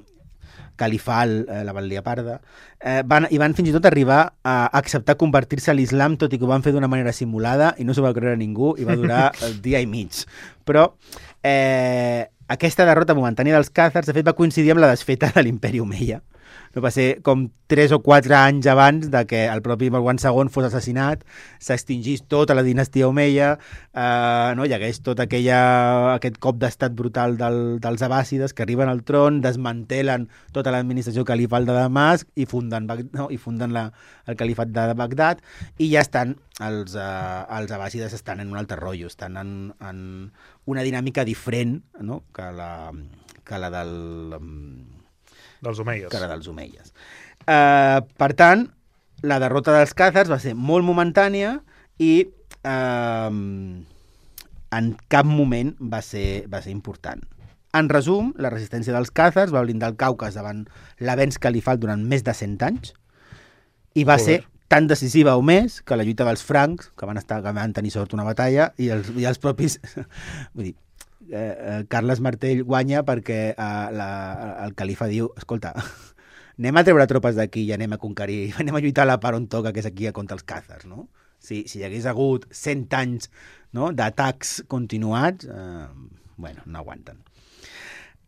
califal eh, la van liar parda, eh, van, i van fins i tot arribar a acceptar convertir-se a l'islam, tot i que ho van fer d'una manera simulada i no s'ho va creure ningú i va durar el dia i mig. Però eh, aquesta derrota momentània dels càzars, de fet, va coincidir amb la desfeta de l'imperi Omeia, no va ser com tres o quatre anys abans de que el propi Marwan segon fos assassinat, s'extingís tota la dinastia Omeia, eh, no? Hi hagués tot aquella, aquest cop d'estat brutal del, dels abàssides que arriben al tron, desmantelen tota l'administració califal de Damasc i funden, no? I funden la, el califat de Bagdad i ja estan, els, eh, els abàssides estan en un altre rotllo, estan en, en una dinàmica diferent, no? que la que la del... dels omeies. Que la dels omeies. Uh, per tant, la derrota dels càzars va ser molt momentània i uh, en cap moment va ser, va ser important. En resum, la resistència dels càzars va blindar el Caucas davant l'avenç califal durant més de cent anys i va Joder. ser tan decisiva o més que la lluita dels francs, que van, estar, que van tenir sort una batalla, i els, i els propis... Vull dir, Eh, Carles Martell guanya perquè eh, la, el califa diu, escolta, anem a treure tropes d'aquí i anem a conquerir, anem a lluitar a la part on toca, que és aquí contra els càzars, no? Si, si hi hagués hagut cent anys, no, d'atacs continuats, eh, bueno, no aguanten.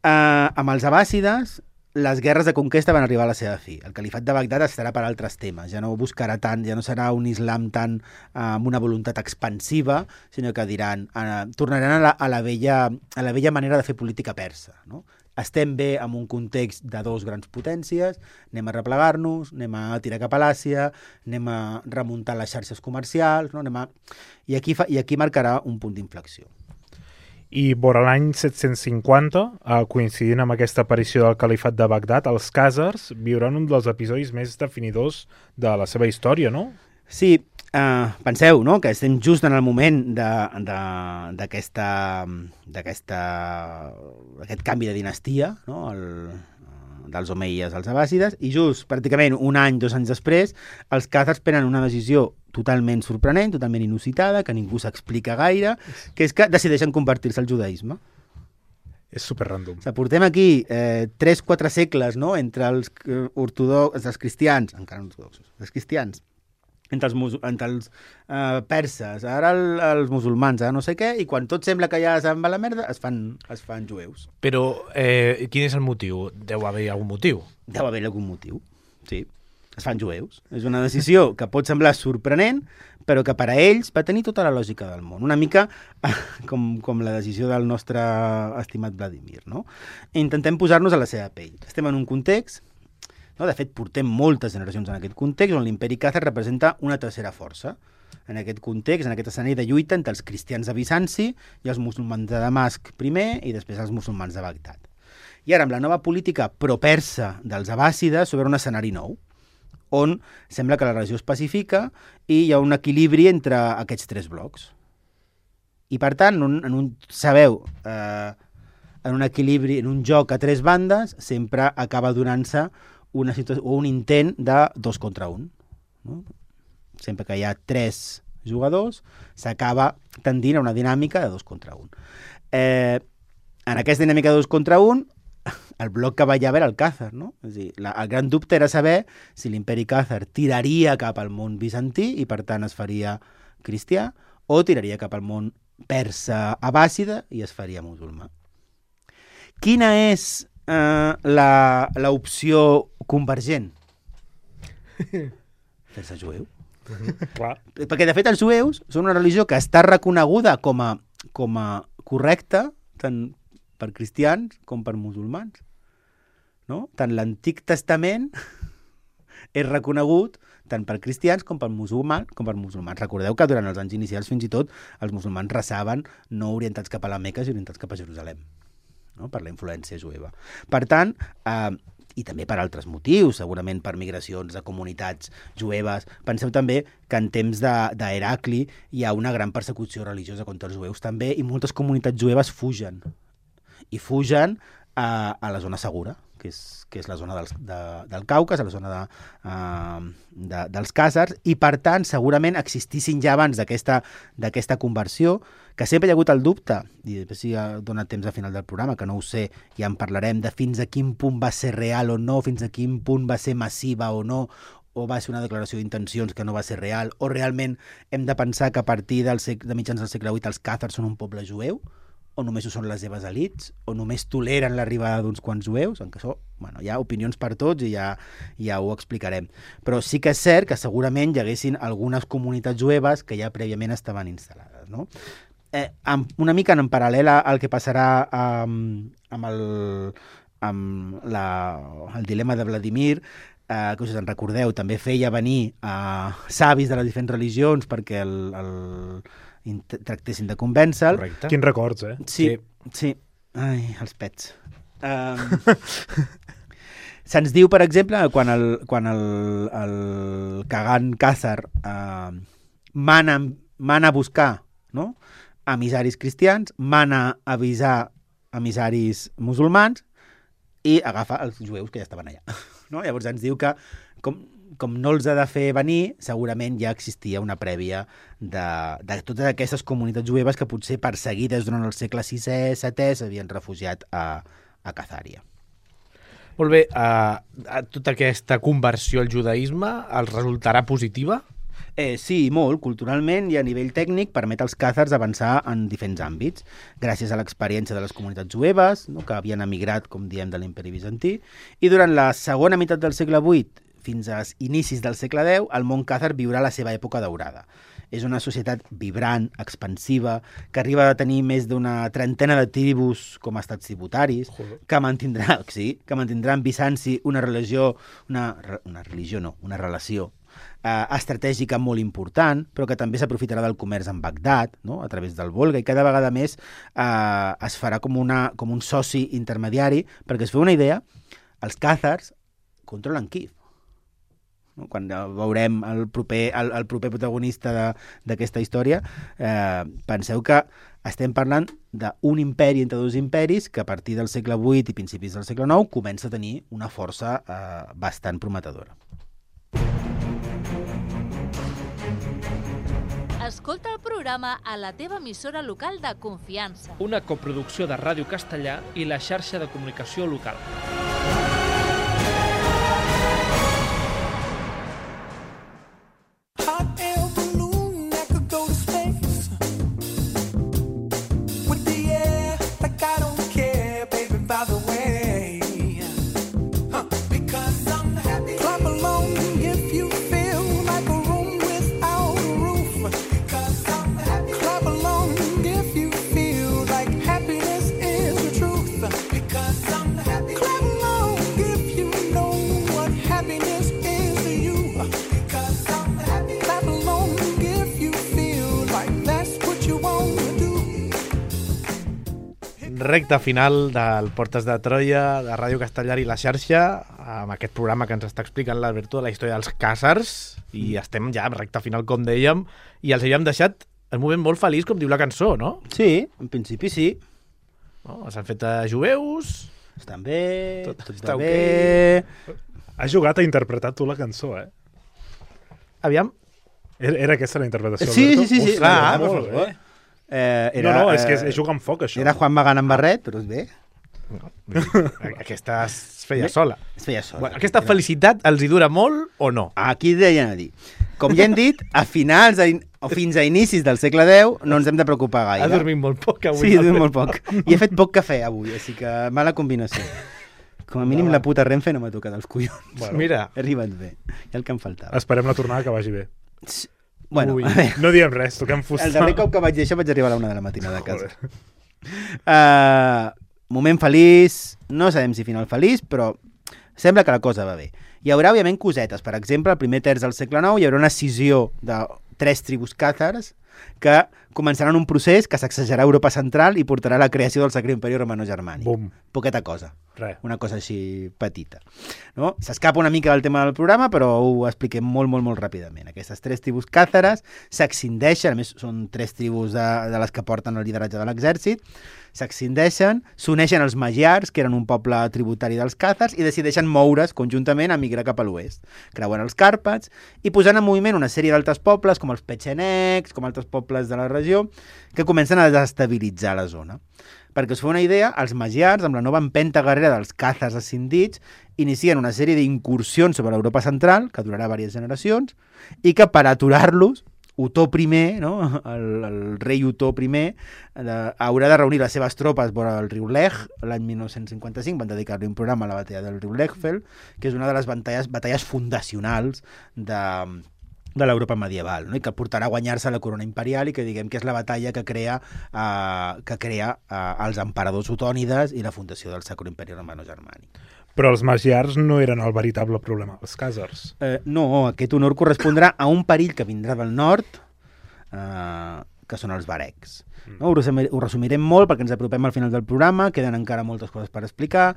Eh, amb els abàssides, les guerres de conquesta van arribar a la seva fi. El califat de Bagdad estarà per altres temes. Ja no buscarà tant, ja no serà un islam tan eh, amb una voluntat expansiva, sinó que diran, eh, tornaran a la, a, la vella, a la vella manera de fer política persa. No? Estem bé en un context de dos grans potències, anem a replegar-nos, anem a tirar cap a l'Àsia, anem a remuntar les xarxes comercials, no? anem a... I, aquí fa, I aquí marcarà un punt d'inflexió. I vora l'any set-cents cinquanta, eh, coincidint amb aquesta aparició del califat de Bagdad, els khàzars viuran un dels episodis més definidors de la seva història, no? Sí, eh, penseu, no?, que estem just en el moment d'aquesta d'aquesta aquest canvi de dinastia, no?, el, dels omeies als abàssides, i just pràcticament un any, dos anys després, els khàzars prenen una decisió totalment sorprenent, totalment inusitada, que ningú s'explica gaire, que és que decideixen convertir-se al judaïsme. És super random. O sigui, portem aquí eh, tres quatre segles, no?, entre els eh, ortodoxos, els cristians, encara no ortodoxos, els cristians, entre els, entre els eh, perses, ara el, els musulmans, ara no sé què, i quan tot sembla que ja se'n va la merda, es fan, es fan jueus. Però eh, quin és el motiu? Deu haver algun motiu. Deu haver algun motiu, sí. Es fan jueus. És una decisió que pot semblar sorprenent, però que per a ells va tenir tota la lògica del món. Una mica com, com la decisió del nostre estimat Vladimir, no? Intentem posar-nos a la seva pell. Estem en un context, no? De fet, portem moltes generacions en aquest context, on l'imperi càzar representa una tercera força. En aquest context, en aquest escenari de lluita entre els cristians de Bizanci i els musulmans de Damasc primer i després els musulmans de Bagdad. I ara, amb la nova política pro-persa dels abàssides, s'obre un escenari nou, on sembla que la regió es pacifica i hi ha un equilibri entre aquests tres blocs. I, per tant, en un, en un, sabeu, eh, en un equilibri, en un joc a tres bandes, sempre acaba donant-se una situació, o un intent de dos contra un. No? Sempre que hi ha tres jugadors, s'acaba tendint a una dinàmica de dos contra un. Eh, en aquesta dinàmica de dos contra un, el bloc que ballava era el càzar, no? És dir, la, el gran dubte era saber si l'imperi càzar tiraria cap al món bizantí i, per tant, es faria cristià, o tiraria cap al món persa abàssida i es faria musulmà. Quina és eh, l'opció convergent? Fer-se jueu. Clar. Perquè, de fet, els jueus són una religió que està reconeguda com a, com a correcta, tant per cristians com per musulmans. No? Tant l'Antic Testament és reconegut tant per cristians com per musulmans, com per musulmans. Recordeu que durant els anys inicials fins i tot els musulmans rezaven no orientats cap a la Meca, sinó orientats cap a Jerusalem, no? Per la influència jueva. Per tant, eh, i també per altres motius, segurament per migracions de comunitats jueves. Penseu també que en temps d'Heracli hi ha una gran persecució religiosa contra els jueus també, i moltes comunitats jueves fugen. I fugen a, a la zona segura, que és, que és la zona dels, de, del Caucas, a la zona de, uh, de, dels càzars, i per tant segurament existissin ja abans d'aquesta conversió, que sempre hi ha hagut el dubte, i després si ha donat temps al final del programa, que no ho sé, ja en parlarem, de fins a quin punt va ser real o no, fins a quin punt va ser massiva o no, o va ser una declaració d'intencions que no va ser real, o realment hem de pensar que a partir del sec, de mitjans del segle vuit els càzars són un poble jueu, o només ho són les seves elits, o només toleren l'arribada d'uns quants jueus, en què això, bueno, hi ha opinions per tots i ja, ja ho explicarem. Però sí que és cert que segurament hi haguessin algunes comunitats jueves que ja prèviament estaven instal·lades, no? Eh, amb, una mica en paral·lel al que passarà amb, amb, el, amb la, el dilema de Vladimir, eh, que us en recordeu, també feia venir a eh, savis de les diferents religions perquè el, el tractessin de convèncer-lo. Correcte. Quins records, eh? Sí, sí. Ai, els pets. Um, Se'ns diu, per exemple, quan el, quan el, el Kagan Khazar uh, mana, mana a buscar, no?, emissaris cristians, mana a avisar emissaris musulmans i agafa els jueus que ja estaven allà. No? Llavors ens diu que com, com no els ha de fer venir, segurament ja existia una prèvia de, de totes aquestes comunitats jueves que potser perseguides durant el segle sisè, setè s'havien refugiat a, a Khazària. Molt bé, uh, tota aquesta conversió al judaïsme els resultarà positiva? Eh, sí, molt. Culturalment i a nivell tècnic permet als càzars avançar en diferents àmbits, gràcies a l'experiència de les comunitats jueves, no?, que havien emigrat, com diem, de l'imperi bizantí, i durant la segona meitat del segle vuit fins als inicis del segle deu, el món càzar viurà la seva època daurada. És una societat vibrant, expansiva, que arriba a tenir més d'una trentena de tribus com a estats tributaris, que mantindrà, sí, que mantindrà amb Bizanci una religió, una, una religió no, una relació eh, estratègica molt important, però que també s'aprofitarà del comerç amb Bagdad, no?, a través del Volga, i cada vegada més eh, es farà com, una, com un soci intermediari, perquè es feu una idea, els càzars controlen Kíev. No? Quan veurem el proper, el, el proper protagonista d'aquesta història, eh, penseu que estem parlant d'un imperi entre dos imperis que a partir del segle vuit i principis del segle nou comença a tenir una força eh, bastant prometedora. Escolta el programa a la teva emissora local de confiança. Una coproducció de Ràdio Castellà i la xarxa de comunicació local. Hot air balloon that could go to space. With the air, like I don't care, baby, by the way. Huh. Because I'm happy. Clap along if you feel like a room without a roof. Because I'm happy. Clap along if you feel like happiness is the truth. Because I'm happy. Clap along if you know what happiness is to you. Because I'm happy. Clap along if you feel like that's what you want to do. Recta final del Portes de Troia, de Ràdio Castellar i la xarxa, amb aquest programa que ens està explicant l'Alberto de la història dels càzars, i estem ja en recta final, com dèiem, i els havíem deixat en un moment molt feliç, com diu la cançó, no? Sí, en principi sí. no? S'han fet a jueus... Estan bé, Tot tot, està va bé... Has jugat a interpretar tu la cançó, eh? Aviam, Era, era aquesta la interpretació, Sí, Alberto? sí, sí, sí. Ostres, Ah, molt per favor. bé. Eh, era, No, no, és que és, eh, és jugar amb foc, això. Era Juan Magán amb barret, però és bé. aquesta es feia sola. Es feia sola. Bueno, aquesta felicitat els hi dura molt o no? Aquí deien a dir. Com ja hem dit, a finals a in... o fins a inicis del segle deu no ens hem de preocupar gaire. Ha dormit molt poc avui. Sí, he dormit molt poc. I he fet poc cafè avui, així que mala combinació. Com a mínim la puta Renfe no m'ha tocat els collons. Bueno, mira, He arribat bé. I el que em faltava. Esperem la tornada que vagi bé. Bueno, Ui. a veure, No diem res, toquem fusta. el darrer cop que vaig dir això vaig arribar a la una de la matinada a casa. Uh, moment feliç, no sabem si final feliç, però sembla que la cosa va bé. Hi haurà, òbviament, cosetes. Per exemple, al primer terç del segle nou hi haurà una escissió de tres tribus càzars que començaran un procés que sacsejarà Europa central i portarà a la creació del Sacre Imperi Romano-Germànic. Bum, Poqueta cosa. res. Una cosa així petita. No? S'escapa una mica del tema del programa, però ho expliquem molt, molt, molt ràpidament. Aquestes tres tribus càzares s'excindeixen, a més són tres tribus de, de les que porten el lideratge de l'exèrcit, s'excindeixen, s'uneixen als magiars, que eren un poble tributari dels càzars, i decideixen moure's conjuntament a migrar cap a l'oest. Creuen els Càrpats i posant en moviment una sèrie d'altres pobles, com els petxenecs, com altres pobles de la regió, que comencen a desestabilitzar la zona. Perquè us feu una idea, els magiars, amb la nova empenta guerrera dels càzars escindits, inicien una sèrie d'incursions sobre l'Europa central, que durarà diverses generacions, i que per aturar-los Otó primer, no? el, el rei Otó primer, de, haurà de reunir les seves tropes vora el riu Lech l'any mil nou-cents cinquanta-cinc, van dedicar-li un programa a la batalla del riu Lechfeld, que és una de les batalles, batalles fundacionals de de l'Europa medieval, no? I que portarà a guanyar-se la corona imperial i que diguem que és la batalla que crea, uh, que crea uh, els emperadors otònides i la fundació del Sacro Imperi Romano-Germànic. Però els magiars no eren el veritable problema, els càsars. Eh, no, aquest honor correspondrà a un perill que vindrà del nord, eh, que són els varecs. No? Ho, resumir, ho resumirem molt perquè ens apropem al final del programa, queden encara moltes coses per explicar,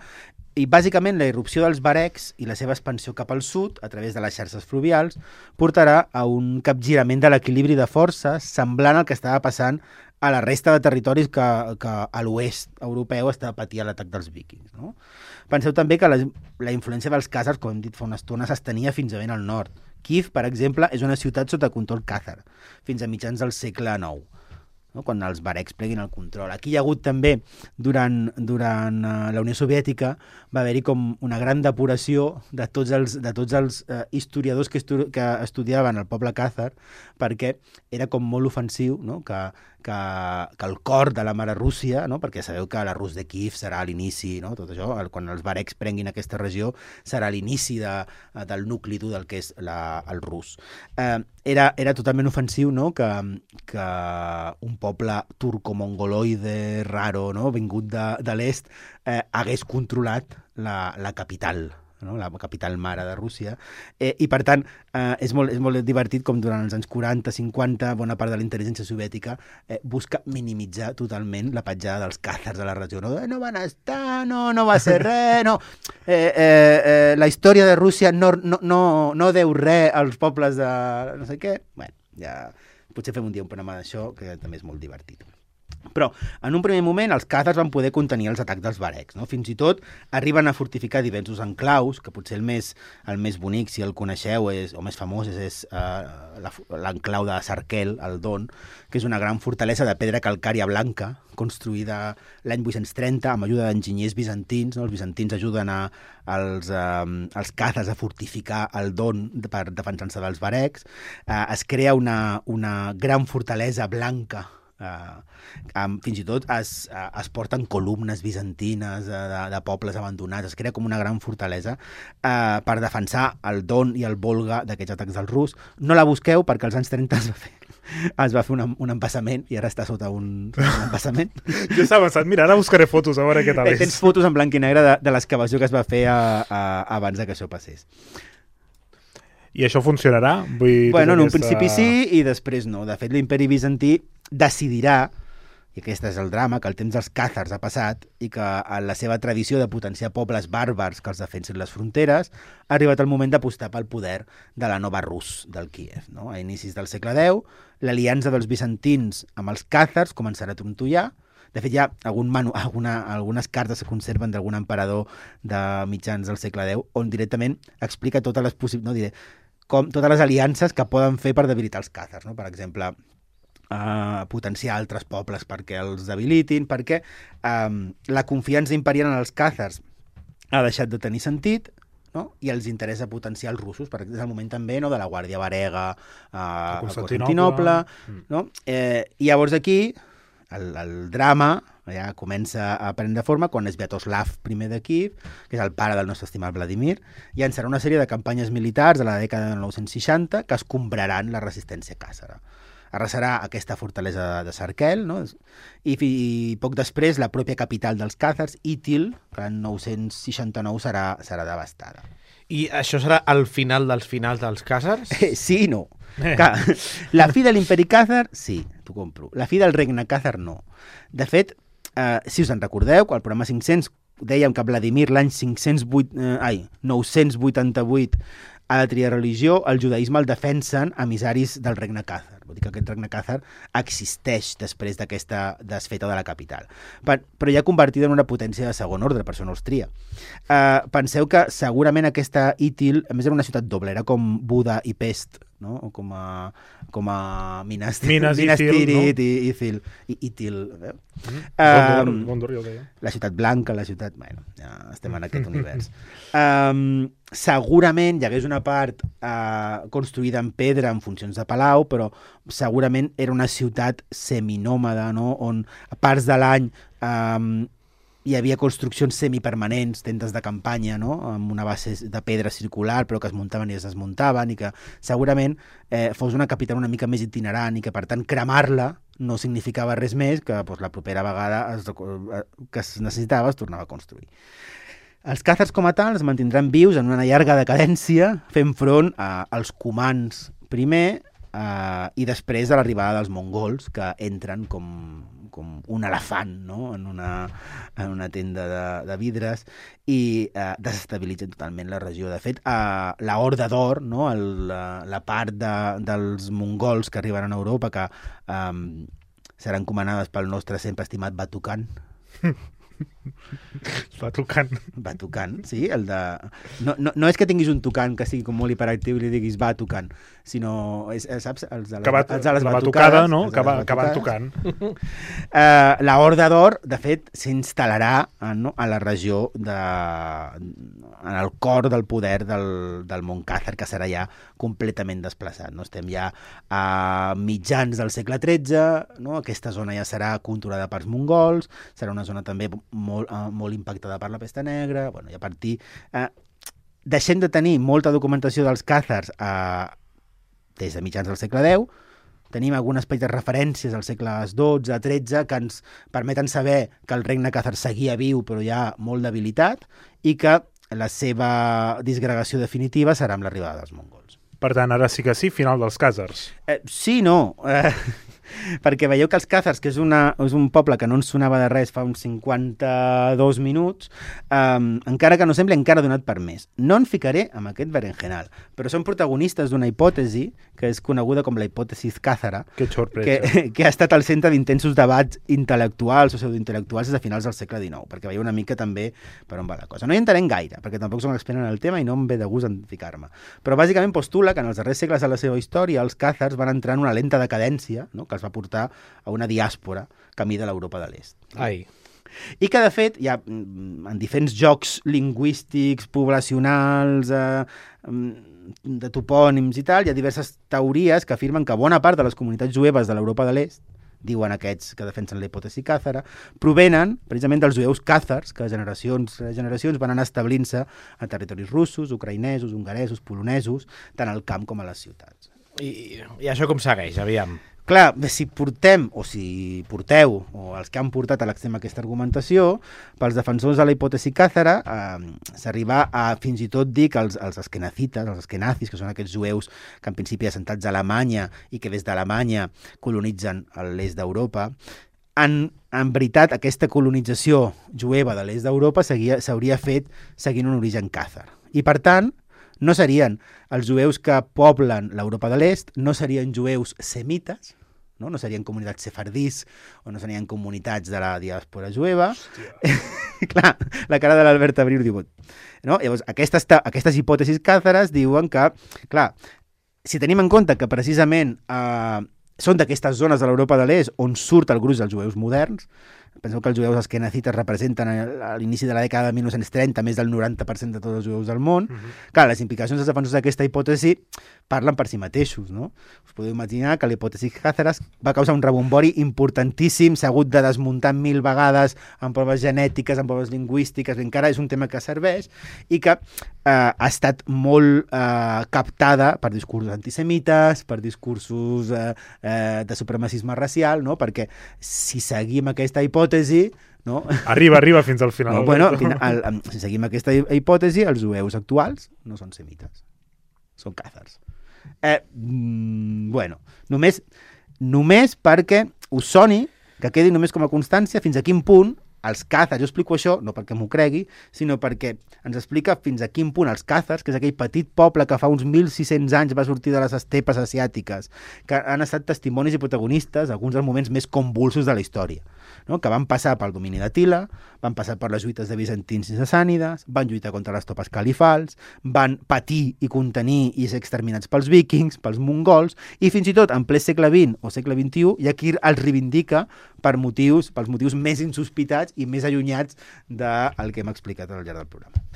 i bàsicament la irrupció dels varecs i la seva expansió cap al sud, a través de les xarxes fluvials, portarà a un capgirament de l'equilibri de forces semblant al que estava passant a la resta de territoris que, que a l'oest europeu estava patint l'atac dels vikings. No? Penseu també que la, la influència dels càsars, com hem dit fa una estona, s'estenia fins a ben al nord. Kíev, per exemple, és una ciutat sota control càsar, fins a mitjans del segle nou. No? Quan els varecs pleguin el control. Aquí hi ha hagut també, durant, durant uh, la Unió Soviètica, va haver-hi com una gran depuració de tots els, de tots els uh, historiadors que, estu que estudiaven el poble càsar, perquè era com molt ofensiu, no? que, que, que el cor de la mare Rússia, no? Perquè sabeu que la Rus de Kíev serà l'inici, no? Tot això, el, quan els varecs prenguin aquesta regió, serà l'inici de, del nucli dur del que és la, el rus. Eh, era, era totalment ofensiu, no? que, que un poble turco-mongoloide raro, no? vingut de, de l'est, eh, hagués controlat la, la capital, no? la capital mare de Rússia, eh, i per tant eh, és, molt, és molt divertit com durant els anys quaranta cinquanta bona part de la intel·ligència soviètica eh, busca minimitzar totalment la petjada dels càzars a la regió. No, no van estar, no, no va ser res, no. Eh, eh, eh, la història de Rússia no, no, no, no deu res als pobles de no sé què. Bueno, ja potser fem un dia un programa d'això, que també és molt divertit. Però, en un primer moment, els càzars van poder contenir els atacs dels varecs. No? Fins i tot arriben a fortificar diversos enclaus, que potser el més, el més bonic, si el coneixeu, és, o més famós, és, és uh, l'enclau de Sarkel, al Don, que és una gran fortalesa de pedra calcària blanca, construïda l'any vuit-cents trenta amb ajuda d'enginyers bizantins. No? Els bizantins ajuden a, als, um, als càzars a fortificar el Don per defensar-se dels varecs. Uh, es crea una, una gran fortalesa blanca. Uh, um, fins i tot es, uh, es porten columnes bizantines uh, de, de pobles abandonats, es crea com una gran fortalesa uh, per defensar el Don i el Volga d'aquests atacs del rus. No la busqueu perquè als anys trenta es va fer, es va fer un, un embassament i ara està sota un, un embassament. Jo estava pensant, mira, ara buscaré fotos a veure què tal és. Eh, tens fotos en blanc i negre de, de l'excavació que es va fer a, a, abans que això passés. I això funcionarà? Vull bueno, en un aquesta... principi sí i després no. De fet, l'imperi bizantí decidirà, i aquest és el drama, que el temps dels càzars ha passat i que en la seva tradició de potenciar pobles bàrbars que els defensin les fronteres ha arribat el moment d'apostar pel poder de la nova Rus del Kíev. No? A inicis del segle deu, l'aliança dels bizantins amb els càzars començarà a trontollar. De fet, hi ha algun manu, alguna, algunes cartes que conserven d'algun emperador de mitjans del segle deu on directament explica totes les possibles, no diré, com totes les aliances que poden fer per debilitar els càzars. No? Per exemple, Uh, potenciar altres pobles perquè els debilitin, perquè um, la confiança imperial en els càzars ha deixat de tenir sentit, no? I els interessa potenciar els russos, perquè és el moment també, no, de la Guàrdia Varega uh, a Constantinople. Mm. No? Eh, I llavors aquí el, el drama ja comença a prendre forma quan és Sviatoslav primer de Kíev, que és el pare del nostre estimat Vladimir, i llançarà una sèrie de campanyes militars a la dècada de nou-cents seixanta que escombraran la resistència càsara. Arrasarà aquesta fortalesa de Sarkel, no? I, i poc després la pròpia capital dels càzars, Itil, que en nou-cents seixanta-nou serà, serà devastada. I això serà el final dels finals dels càzars? Eh, sí i no. Eh. La fi de l'imperi càzar, sí, t'ho compro. La fi del regne càzar, no. De fet, eh, si us en recordeu, al programa cinc-cents dèiem que Vladimir l'any cinc-cents vuit, eh, ai, nou-cents vuitanta-vuit a la trireligió, el judaïsme el defensen emissaris del regne càzar. Vol dir que aquest regne càzar existeix després d'aquesta desfeta de la capital. Per, però ja convertida en una potència de segon ordre, per això no els tria. Uh, penseu que segurament aquesta Itil, a més era una ciutat doble, era com Buda i Pest no? O com a, com a Minas, Minas Minas Ithil, Tirith no? i Ithil. I, Ithil eh? Mm. Um, Gondor, Gondor, jo deia. la ciutat blanca, la ciutat... Bueno, ja estem en aquest univers. Um, segurament hi hagués una part uh, construïda en pedra en funcions de palau, però segurament era una ciutat seminòmada, no? On a parts de l'any um, hi havia construccions semipermanents, tendes de campanya, no? Amb una base de pedra circular, però que es muntaven i es desmuntaven, i que segurament eh, fos una capital una mica més itinerant i que, per tant, cremar-la no significava res més que doncs, la propera vegada es, que es necessitava es tornava a construir. Els càzars com a tal es mantindran vius en una llarga decadència, fent front a, als comans primer eh, i després de l'arribada dels mongols, que entren com, com un elefant, no? en, una, en una tenda de, de vidres i eh, desestabilitzen totalment la regió. De fet, eh, la Horda d'Or, no? El, la, la part de, dels mongols que arribaran a Europa, que eh, seran comandades pel nostre sempre estimat Batukan. Va tocant. Va tocant, sí, el de... No, no, no és que tinguis un tocant que sigui com molt hiperactiu i li diguis va tocant, sinó, és, saps, els de les, Que va, els de les la batucades, batucada, no? els de Que, les va, que van batucades. tocant. Uh, la Horda d'Or, de fet, s'instal·larà uh, no, a la regió de... en el cor del poder del, del món càzar, que serà ja completament desplaçat. No? Estem ja a mitjans del segle tretze, no? Aquesta zona ja serà controlada pels mongols, serà una zona també molt, uh, molt impactada per la pesta negra, bueno, i a partir... Uh, deixem de tenir molta documentació dels càzars uh, des de mitjans del segle deu, tenim algunes petites referències als segles dotze, tretze, que ens permeten saber que el regne càzar seguia viu però ja molt debilitat i que la seva disgregació definitiva serà amb l'arribada dels mongols. Per tant, ara sí que sí, final dels càzars. Eh, sí, no. Eh, perquè veieu que els càzars, que és, una, és un poble que no ens sonava de res fa uns cinquanta-dos minuts, eh, encara que no sembli, encara ha donat per més. No en ficaré amb aquest berenjenal, però són protagonistes d'una hipòtesi que és coneguda com la hipòtesi càzara, Que sorpresa. que, que ha estat al centre d'intensos debats intel·lectuals o pseudointel·lectuals des de finals del segle dinou, perquè veieu una mica també per on va la cosa. No hi entrarem gaire, perquè tampoc som expert en el tema i no em ve de gust en ficar-me. Però bàsicament postula que en els darrers segles de la seva història els càzars van entrar en una lenta decadència, no? Que els va portar a una diàspora camí de l'Europa de l'Est. Ai. I que, de fet, hi ha en diferents jocs lingüístics, poblacionals, eh, de topònims i tal, hi ha diverses teories que afirmen que bona part de les comunitats jueves de l'Europa de l'Est, diuen aquests que defensen la hipòtesi càzara, provenen precisament dels jueus càzars, que generacions generacions van anar establint-se a territoris russos, ucraïnesos, hongaresos, polonesos, tant al camp com a les ciutats. I, i això com segueix, aviam? Clar, si portem, o si porteu, o els que han portat a l'extrem aquesta argumentació, pels defensors de la hipòtesi càzara, eh, s'arriba a fins i tot dir que els, els eskenazites, els eskenazis, que són aquests jueus que en principi assentats a Alemanya i que des d'Alemanya colonitzen l'est d'Europa, en, en veritat aquesta colonització jueva de l'est d'Europa s'hauria fet seguint un origen càzar. I per tant, no serien els jueus que poblen l'Europa de l'Est, no serien jueus semites, no, no serien comunitats sefardís o no serien comunitats de la diàspora jueva. Clar, la cara de l'Albert Abril diu... No? Llavors, aquestes, aquestes hipòtesis càzares diuen que, clar, si tenim en compte que precisament eh, són d'aquestes zones de l'Europa de l'Est on surt el gruix dels jueus moderns, penseu que els jueus eskenazites representen a l'inici de la dècada de mil nou-cents trenta més del noranta per cent de tots els jueus del món. Uh-huh. Clar, les implicacions dels defensors d'aquesta hipòtesi parlen per si mateixos, no? Us podeu imaginar que la hipòtesi càzara va causar un rebombori importantíssim, s'ha hagut de desmuntar mil vegades en proves genètiques, en proves lingüístiques, encara és un tema que serveix i que eh, ha estat molt eh, captada per discursos antisemites, per discursos eh, eh, de supremacisme racial, no? Perquè si seguim aquesta hipòtesi, no? Arriba, arriba fins al final. No, bueno, al, al, si seguim aquesta hipòtesi, els jueus actuals no són semites, són càzars. Eh, mm, bueno, només, només perquè us soni, que quedi només com a constància fins a quin punt els càzars, jo explico això, no perquè m'ho cregui, sinó perquè ens explica fins a quin punt els càzars, que és aquell petit poble que fa uns mil sis-cents anys va sortir de les estepes asiàtiques, que han estat testimonis i protagonistes alguns dels moments més convulsos de la història. no? Que van passar pel domini d'Atila, van passar per les lluites de bizantins i sassànides, van lluitar contra les topes califals, van patir i contenir i ser exterminats pels vikings, pels mongols, i fins i tot en ple segle vint o segle vint-i-u hi ha qui els reivindica per motius, pels motius més insospitats i més allunyats del que hem explicat al llarg del programa.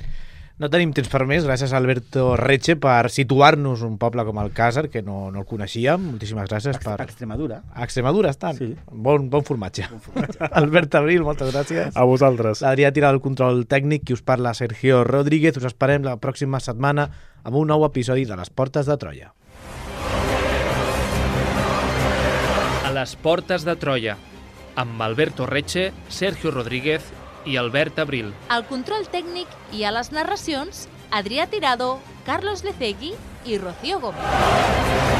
No tenim temps per més. Gràcies a Alberto Reche per situar-nos un poble com Alcàsser, que no, no el coneixíem. Moltíssimes gràcies. Per... Extremadura. A Extremadura estan? Sí. Bon, bon formatge. Bon formatge. Albert Abril, moltes gràcies. A vosaltres. L'Adrià Tira del control tècnic, qui us parla Sergio Rodríguez. Us esperem la pròxima setmana amb un nou episodi de Les Portes de Troia. A les Portes de Troia, amb Alberto Reche, Sergio Rodríguez i Albert Abril. Al control tècnic i a les narracions, Adrià Tirado, Carlos Lecegui i Rocío Gómez.